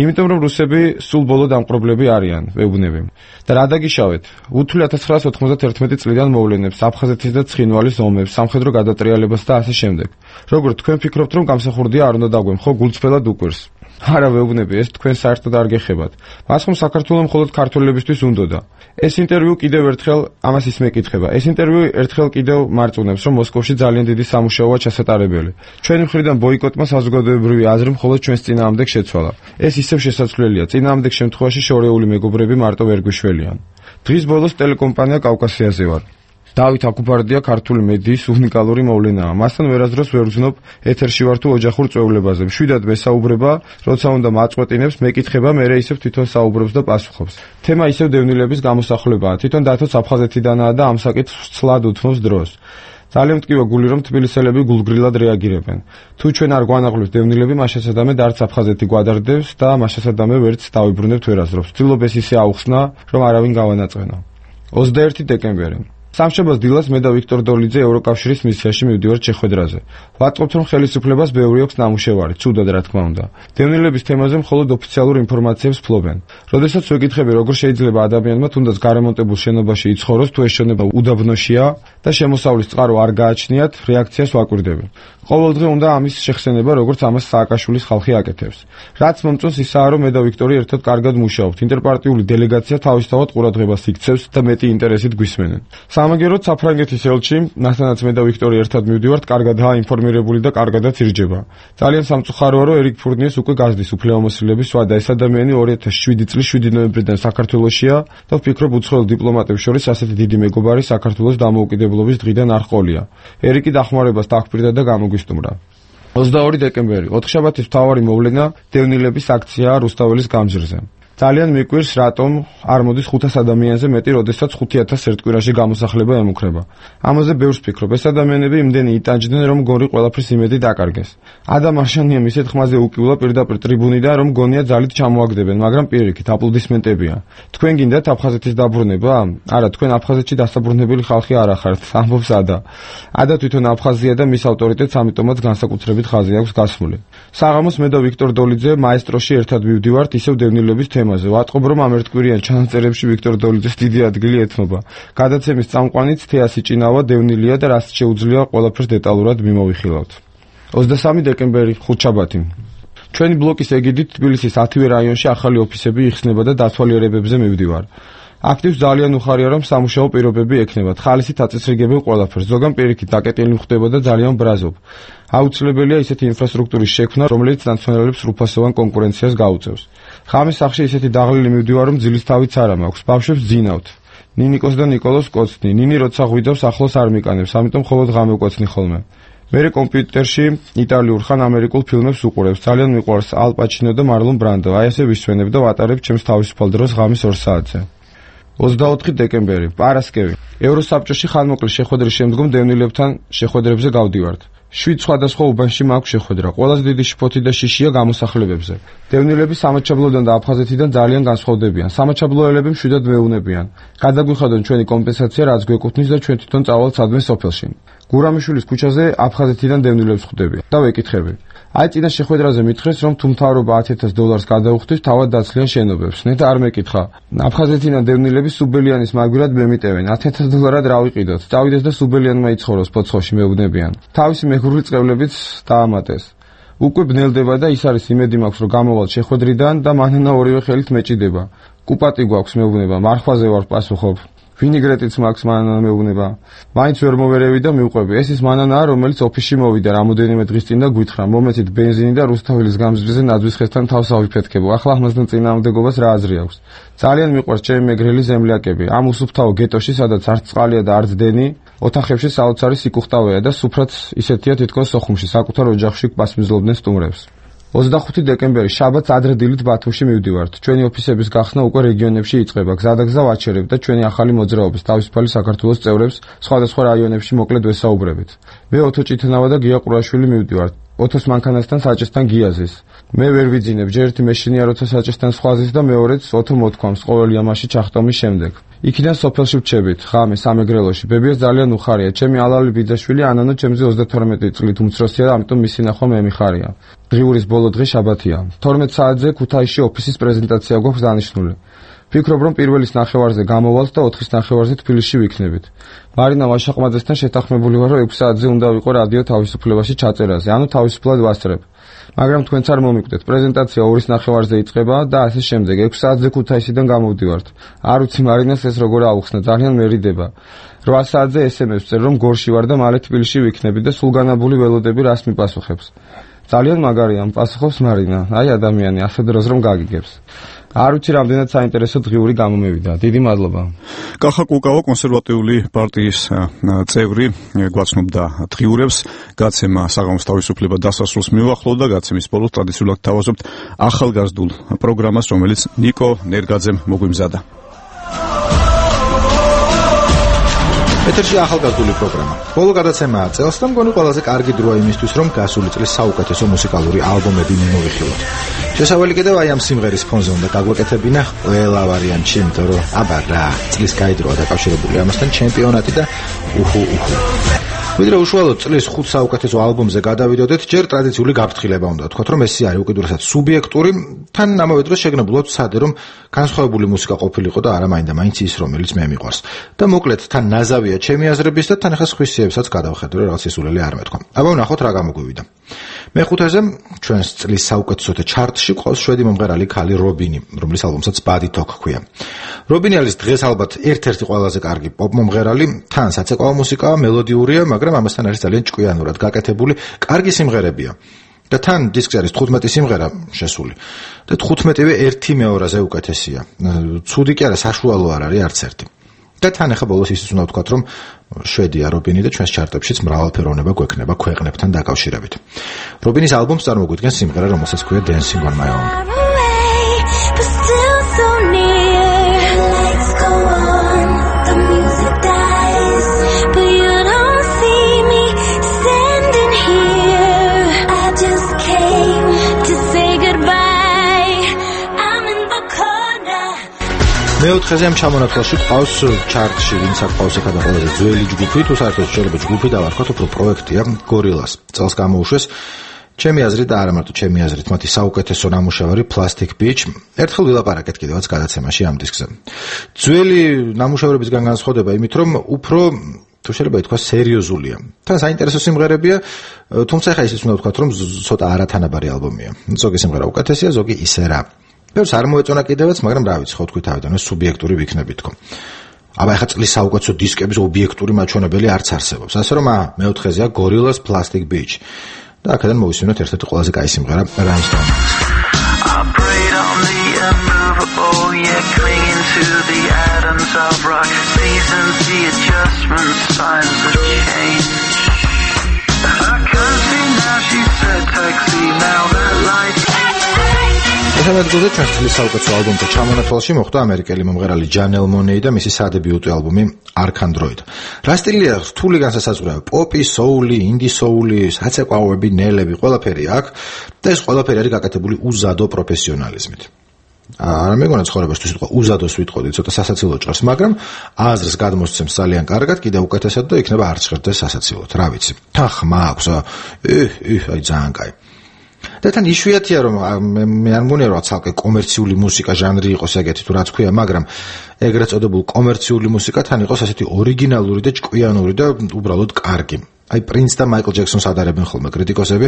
იმიტომ რომ რუსები სულ ბოლო დამპყრობლები არიან, ვეუბნები. და რა დაგიშავეთ? უთვლი 1991 წლიდან მოვლენებს, აფხაზეთის და ცხინვალის ომებს, სამხედრო გადატრიალებას და ასე შემდეგ. როგორ თქვენ ფიქრობთ რომ გამსახურდია არ უნდა დაგვემ, ხო გულწრფელად უკვირს? არა ვეუბნები, ეს თქვენ საერთოდ არ გეხებათ. მას ხომ საქართველოს მხოლოდ ქართველებისთვის უნდოდა. ეს ინტერვიუ კიდევ ერთხელ ამას ის მეკითხება. ეს ინტერვიუ ერთხელ კიდევ მარწუნებს, რომ მოსკოვში ძალიან დიდი სამუშაოა ჩასატარებელი. ჩვენი მხრიდან ბოიკოტმა საზოგადოებრივი აზრი მხოლოდ ჩვენს წინააღმდეგ შეცვალა. ეს ისევ შესაძლებელია. წინააღმდეგ შემთხვევაში შორეული მეგობრები მარტო ვერ გვიშველიან. დღის ბოლოს ტელეკომპანია კავკასიაზე ვარ. დავით აკუბარდია ქართული მედიის უნიკალური მოვლენაა. მასთან ვერასდროს ვერ ვზნობ ეთერში ვარ თუ ოჯახურ წვეულებაზე. მშვიდად მესაუბრება, როცა უნდა მაწყვეტინებს, მეკითხება, მერე ისევ თვითონ საუბრობს და პასუხობს. თემა ისევ დევნილების გამოსახულებაა. თვითონ დათოც აფხაზეთიდანაა და ამ საკითხს ცლად უთმობს დროს. ძალიან მტკივა გული რომ თბილისელები გულგრილად რეაგირებენ. თუ ჩვენ არ გვანაღვლევთ დევნილები, მაშასადამე არც აფხაზეთი გვადარდებს და მაშასადამე ვერც დავიბრუნებთ ვერასდროს. ვცდილობ ეს ისე აუხსნა, რომ არავინ გავანაწყვეტო. 21 დეკემბერი სამშაბათს დილას მე და ვიქტორ დოლიძე ევროკავშირის მისიაში მივდივართ შეხვედრაზე. ვატყობთ, რომ ხელისუფლებას ბევრი აქვს ნამუშევარი, ცუდად რა თქმა უნდა. დევნილების თემაზე მხოლოდ ოფიციალურ ინფორმაციებს ფლობენ. როდესაც ვეკითხები, როგორ შეიძლება ადამიანმა თუნდაც გარემონტებულ შენობაში იცხოვროს, თუ ეს შენობა უდაბნოშია და შემოსავლის წყარო არ გააჩნიათ, რეაქციას ვაკვირდები. ყოველდღე უნდა ამის შეხსენება, როგორც ამას სააკაშვილის ხალხი აკეთებს. რაც მომწონს ისაა, რომ მე და ვიქტორი ერთად კარგად მუშაობთ. ინტერპარტიული დელეგაცია თავისთავად ყურადღებას იქცევს და მეტი ინტერესით გვისმენენ. სამაგეროდ საფრანგეთის ელჩი, მასთანაც მე და ვიქტორი ერთად მივდივართ, კარგადაა ინფორმირებული და კარგადაც ირჯება. ძალიან სამწუხაროა, რომ ერიკ ფურნიეს უკვე გაზდის უფლებამოსილების სვა და ეს ადამიანი 2007 წლის 7 ნოემბრიდან საქართველოშია და ვფიქრობ, უცხოელ დიპლომატებს შორის ასეთი დიდი მეგობარი საქართველოს დამოუკიდებლობის დღიდან არ ჰყოლია. ერიკი დახმარებას დააკვირდა და გამოგვისტუმრა. 22 დეკემბერი, ოთხშაბათის მთავარი მოვლენა დევნილების აქციაა რუსთაველის გამზირზე. ძალიან მიკვირს, რატომ არ მოდის 500 ადამიანზე მეტი, როდესაც 5000 ერთ კვირაში გამოსახლება ემუქრება. ამაზე ბევრს ფიქრობ. ეს ადამიანები იმდენი იტანჯდნენ, რომ გონი ყველაფრის იმედი დაკარგეს. ადამ არშანია მისეთ ხმაზე უკიულა პირდაპირ ტრიბუნიდან, რომ გონია ძალით ჩამოაგდებენ, მაგრამ პირიქით აპლოდისმენტებია. თქვენ გინდათ აფხაზეთის დაბრუნება? არა, თქვენ აფხაზეთში დასაბრუნებელი ხალხი არ ახართ, ამბობს ადა. ადა თვითონ აფხაზია და მის ავტორიტეტს ამიტომაც განსაკუთრებით ხაზი აქვს გასმული. საღამოს მე და ვიქტორ დოლიძე მაესტროში ერთად მივდივართ ისევ დევნილების თემაზე. ვატყობ, რომ ამ ერთკვირიან ჩანაწერებში ვიქტორ დოლიძეს დიდი ადგილი ეთმობა. გადაცემის წამყვანიც თეასი ჭინავა დევნილია და რაც შეუძლია ყველაფერს დეტალურად მიმოვიხილავთ. 23 დეკემბერი, ხუთშაბათი. ჩვენი ბლოკის ეგიდით თბილისის 10-ვე რაიონში ახალი ოფისები იხსნება და დათვალიერებებზე მივდივარ. აქტივს ძალიან უხარია, რომ სამუშაო პირობები ექნებათ. ხალისით აწესრიგებენ ყველაფერს. ზოგან პირიქით დაკეტილი ხდება და ძალიან ბრაზობ. აუცილებელია ისეთი ინფრასტრუქტურის შექმნა, რომელიც ნაციონალებს რუფასოვან კონკურენციას გაუწევს. ხამის სახში ისეთი დაღლილი მივდივარ, რომ ძილის თავიც არ მაქვს. ბავშვებს ძინავთ. ნინიკოს და ნიკოლოს კოცნი. ნინი როცა ღვიდავს, ახლოს არ მიკანებს, ამიტომ მხოლოდ ღამე კოცნი ხოლმე. მერე კომპიუტერში იტალიურ ხან ამერიკულ ფილმებს უყურებს. ძალიან მიყვარს ალ პაჩინო და მარლონ ბრანდო. აი ესე ვისვენებ და ვატარებ ჩემს თავისუფალ დროს ღამის 2 საათზე. 24 დეკემბერი, პარასკევი. ევროსაბჭოში ხანმოკლე შეხვედრის შემდგომ დევნილებთან შეხვედრებზე გავდივართ. 7 სხვადასხვა უბანში მაქვს შეხვედრა. ყველაზე დიდი შფოთი და შიშია გამოსახლებებზე. დევნილები სამაჩაბლოდან და აფხაზეთიდან ძალიან განსხვავდებიან. სამაჩაბლოელები მშვიდად მეუნებიან. გადაგვიხადონ ჩვენი კომპენსაცია, რაც გვეკუთვნის და ჩვენ თვითონ წავალთ სადმე სოფელში. გურამიშვილის ქუჩაზე აფხაზეთიდან დევნილებს ხვდები და ვეკითხები. აი წინა შეხვედრაზე მითხრეს, რომ თუ მთავრობა $10,000 გადაუხდის, თავად დაცლიან შენობებს. ნეტა არ მეკითხა. აფხაზეთიდან დევნილები სუბელიანის მაგვირად მემიტევენ. $10,000 რა ვიყიდოთ? წავიდეს და სუბელიანმა იცხოვროს ფოცხოში მეუბნებიან. თავისი მეგრული წყევლებით დაამატეს. უკვე ბნელდება და ის არის იმედი მაქვს, რომ გამოვალ შეხვედრიდან და მანანა ორივე ხელით მეჭიდება. კუპატი გვაქვს მეუბნება, მარხვაზე ვარ პასუხობ. ვინიგრეტიც მაქვს მანანა მეუბნება. მაინც ვერ მოვერევი და მივყვები. ეს ის მანანაა, რომელიც ოფისში მოვიდა რამოდენიმე დღის წინ და გვითხრა, მომეცით ბენზინი და რუსთაველის გამზირზე ნაძვის ხესთან თავს ავიფეთქებო. ახლა ამასთან წინააღმდეგობას რა აზრი აქვს? ძალიან მიყვარს ჩემი მეგრელი ზემლაკები. ამ უსუფთავო გეტოში, სადაც არც წყალია და არც დენი, ოთახებში საოცარი სიკუხტავეა და სუფრაც ისეთია თითქოს სოხუმში, საკუთარ ოჯახში პასმიზლობდნენ სტუმრებს. 25 დეკემბერი, შაბათს ადრე დილით ბათუმში მივდივართ. ჩვენი ოფისების გახსნა უკვე რეგიონებში იწყება. გზადაგზა ვაჩერებ და ჩვენი ახალი მოძრაობის თავისუფალი საქართველოს წევრებს სხვადასხვა რაიონებში მოკლედ ვესაუბრებით. მე ოთო ჭითნავა და გია ყურაშვილი მივდივართ. ოთოს მანქანასთან საჭესთან გიაზის. მე ვერ ვიძინებ, ჯერ ერთი მეშინია როცა საჭესთან სხვაზის და მეორეც ოთო მოთქვამს ყოველი ამაში ჩახტომის შემდეგ. იქიდან სოფელში ვჩებით, ღამე სამეგრელოში. ბებიას ძალიან უხარია. ჩემი ალალი ბიძაშვილი ანანო ჩემზე 32 წლით უმცროსია, ამიტომ მისი ნახვა მე მიხარია. დღიურის ბოლო დღე შაბათია. 12 საათზე ქუთაისში ოფისის პრეზენტაცია გვაქვს დანიშნული. ვფიქრობ, რომ პირველის ნახევარზე გამოვალთ და 4-ის ნახევარზე თბილისში ვიქნებით. მარინა ვაშაყმაძესთან შეთანხმებული ვარ, რომ 6 საათზე უნდა ვიყო რადიო თავისუფლებაში ჩაწერაზე, ანუ თავისუფლად ვასწრებ. მაგრამ თქვენც არ მომიკვდეთ. პრეზენტაცია 2:30-ზე იწყება და ასე შემდეგ. 6 საათზე ქუთაისიდან გამოვდივართ. არ ვიცი მარინას ეს როგორ აუხსნა, ძალიან მერიდება. 8 საათზე SMS წერ რომ გორში ვარ და მალე თბილისში ვიქნები და სულგანაბული ველოდები რას მიპასუხებს. ძალიან მაგარია პასუხობს მარინა. აი ადამიანი ასე დროს რომ გაგიგებს. არ ვიცი რამდენად საინტერესო დღიური გამომევიდა. დიდი მადლობა. კახა კუკავა კონსერვატიული პარტიის წევრი გვაცნობდა დღიურებს. გაცემა საღამოს თავისუფლება დასასრულს მიუახლოვდა. გაცემის ბოლოს ტრადიციულად თავაზობთ ახალგაზრდულ პროგრამას, რომელიც ნიკო ნერგაძემ მოგვიმზადა. ეთერში ახალგაზრდული პროგრამა. ბოლო გადაცემაა წელს და მგონი ყველაზე კარგი დროა იმისთვის, რომ გასული წლის საუკეთესო მუსიკალური ალბომები მიმოვიხილოთ. შესავალი კიდევ აი ამ სიმღერის ფონზე უნდა გაგვეკეთებინა ყველა ვარიანტი, იმიტომ რომ აბა რა, წლის გაიდროა დაკავშირებული ამასთან ჩემპიონატი და უჰუ. ვიდრე უშუალოდ წლის 5 საუკეთესო ალბომზე გადავიდოდეთ, ჯერ ტრადიციული გაფრთხილება უნდა ვთქვათ, რომ ეს არის უკიდურესად სუბიექტური, თან ამავე დროს შეგნებულად ვცადე, რომ განსხვავებული მუსიკა ყოფილიყო და არა მაინდა-მაინც ის, რომელიც მე მიყვარს. და მოკლედ თან ნაზავია ჩემი აზრების და თან ახლა სხვისიებსაც გადავხედო, რომ რაღაც ისულელი არ მეთქვა. აბა ვნახოთ რა გამოგვივიდა. მეხუთეზე ჩვენს წლის საუკეთესოთა ჩარტში ყავს შვედი მომღერალი ქალი რობინი, რომლის ალბომსაც Body Talk ჰქვია. რობინი არის დღეს ალბათ ერთ-ერთი ყველაზე კარგი პოპ მომღერალი, თან საცეკვაო მუსიკაა, მელოდიურია, მაგრამ ამასთან არის ძალიან ჭკვიანურად გაკეთებული, კარგი სიმღერებია. და თან დისკზე არის 15 სიმღერა შესული. და 15-ვე 1/2-ზე უკეთესია. ცუდი კი არა, საშუალო არ არის არც ერთი. და თან ახლა ბოლოს ისიც უნდა ვთქვათ, რომ შვედია რობინი და ჩვენს ჩარტებშიც მრავალფეროვნება გვექნება ქვეყნებთან დაკავშირებით. რობინის ალბომს წარმოგვიდგენს სიმღერა, რომელსაც ჰქვია Dancing on My Own. მეოთხეზე ამ ჩამონათვალში ყავს ჩარტში, ვინც აქ ყავს ახლა ყველაზე ძველი ჯგუფი, თუ საერთოდ შეიძლება ჯგუფი დავარქვათ, უფრო პროექტია გორილას. წელს გამოუშვეს ჩემი აზრით და არა მარტო ჩემი აზრით, მათი საუკეთესო ნამუშევარი Plastic Beach. ერთხელ ვილაპარაკეთ კიდევაც გადაცემაში ამ დისკზე. ძველი ნამუშევრებისგან განსხვავდება იმით, რომ უფრო თუ შეიძლება ითქვას სერიოზულია. თან საინტერესო სიმღერებია, თუმცა ახლა ისიც უნდა ვთქვათ, რომ ცოტა არათანაბარი ალბომია. ზოგი სიმღერა უკეთესია, ზოგი ისე რა. ბევრს არ მოეწონა კიდევაც, მაგრამ რა ვიცი, ხო თქვი თავიდან, სუბიექტური ვიქნები თქო. აბა ახლა წლის საუკეთესო დისკების ობიექტური მაჩვენებელი არც არსებობს. ასე რომ მეოთხეზეა Gorillaz Plastic Beach. და აქედან მოვისმინოთ ერთ-ერთი ყველაზე კაი სიმღერა Rammstein. მესამედგულზე ჩვენს წლის საუკეთესო ალბომთა ჩამონათვალში მოხვდა ამერიკელი მომღერალი Janelle Monáe და მისი სადებიუტო ალბომი Arcandroid. რა სტილია რთული განსასაზღვრება? პოპი, soul-ი, indie soul-ი, საცეკვაოები, ნელები, ყველაფერი აქვს და ეს ყველაფერი არის გაკეთებული უზადო პროფესიონალიზმით. არ მეგონა ცხოვრებას თუ სიტყვა უზადოს ვიტყოდი, ცოტა სასაცილო ჭრას, მაგრამ აზრს გადმოსცემს ძალიან კარგად, კიდევ უკეთესად და იქნება არ ჭრდეს სასაცილოდ, რა ვიცი. თან ხმა აქვს, აი ძალიან კაი. და თან იშვიათია რომ მე არ მგონია რომ ცალკე კომერციული მუსიკა ჟანრი იყოს ეგეთი თუ რაც ქვია, მაგრამ ეგრეთ წოდებულ კომერციული მუსიკა თან იყოს ასეთი ორიგინალური და ჭკვიანური და უბრალოდ კარგი. აი პრინც და მაიკლ ჯექსონს ადარებენ ხოლმე კრიტიკოსები.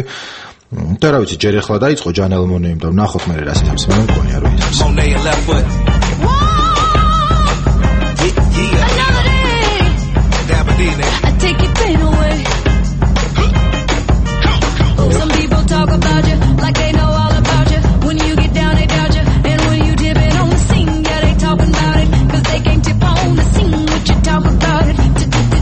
და რა ვიცი, ჯერ ახლა დაიწყო Janelle Monáe და ვნახოთ მე რა სიტყვას მე მგონია რომ ის Some people talk about you like they know all about you. When you get down, they doubt you. And when you dip it on the scene, yeah, they talking about it. Cause they can't tip on the scene what you talk about it.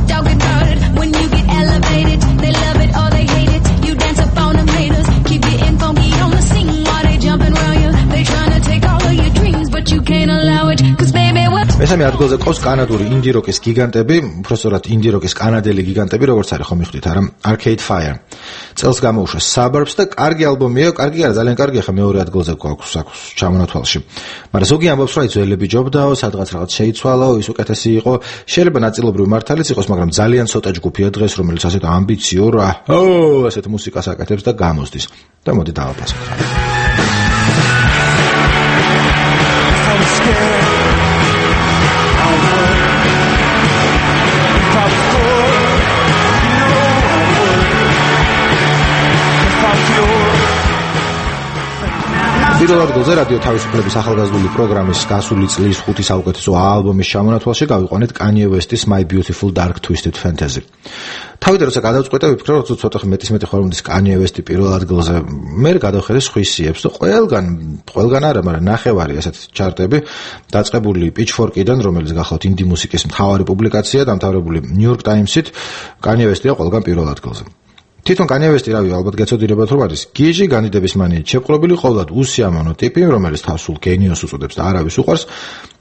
Talking about it. When you get elevated, they love it or they hate it. You dance up on them haters. Keep getting funky on the scene while they jumping around you. They trying to take all of your dreams, but you can't allow it. Cause baby, what? მესამე ადგილზე ყავს კანადური ინდი როკის გიგანტები, უბრალოდ ინდი როკის კანადელი გიგანტები, როგორც არის ხომ მიხვდით არა? Arcade Fire. წელს გამოუშვა Suburbs და კარგი ალბომია, კარგი არა, ძალიან კარგია, ხა მეორე ადგილზე გვაქვს ჩამონათვალში. მაგრამ ზოგი ამბობს, რომ ძველები ჯობდაო, სადღაც რაღაც შეიცვალაო, ის უკეთესი იყო. შეიძლება ნაწილობრივ მართალიც იყოს, მაგრამ ძალიან ცოტა ჯგუფია დღეს, რომელიც ასეთ ამბიციურ, ასეთ მუსიკას აკეთებს და გამოსდის. და მოდი დავაფასოთ. პირველ ადგილზე რადიო თავისუფლების ახალგაზრდული პროგრამის გასული წლის 5 საუკეთესო ალბომის ჩამონათვალში გავიყვანეთ Kanye West-ის My Beautiful Dark Twisted Fantasy. თავიდან როცა გადავწყვეტე, ვიფიქრე, რომ ცოტა მეტი ხორმდის Kanye West-ი პირველ ადგილზე, მე გადავხედე სხვისიებს და ყველგან არა, მაგრამ ნახევარი ასეთ ჩარტები დაწყებული Pitchfork-დან, რომელიც გახლავთ ინდი მუსიკის მთავარი პუბლიკაცია, დამთავრებული New York Times-ით, Kanye West-ია ყველგან პირველ ადგილზე. თვითონ Kanye West-ი რავი, ალბათ გეცოდინებათ რომ არის გიჟი განიდების მანიით შეპყრობილი ყოვლად უსიამოვნო ტიპი, რომელიც თავს სულ გენიოსს უწოდებს და არავის უყვარს,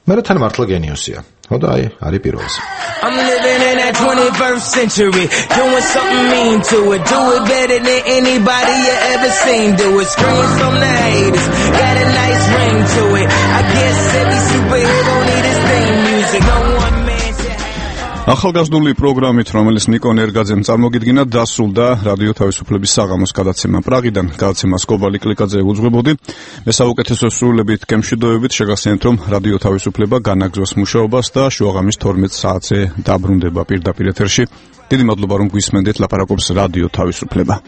მე რა თან მართლა გენიოსია. ხო და აი, არის პირველზე. I'm living in that 21st century, doing something mean to it, do it better than anybody you ever seen, do it, scream from the haters, got a nice ring to it, I guess every superhero need his theme music, no one man ახალგაზრდული პროგრამით, რომელიც ნიკო ნერგაძემ წარმოგიდგინა, დასრულდა რადიო თავისუფლების საღამოს გადაცემა პრაღიდან. გადაცემას კობალი კლიკაძე უძღვებოდი. მე საუკეთესო სრულებით გემშვიდობებით შეგახსენებთ, რომ რადიო თავისუფლება განაგრძობს მუშაობას და შუაღამის 12 საათზე დაბრუნდება პირდაპირ ეთერში. დიდი მადლობა, რომ გვისმენდით, ლაპარაკობს რადიო თავისუფლება.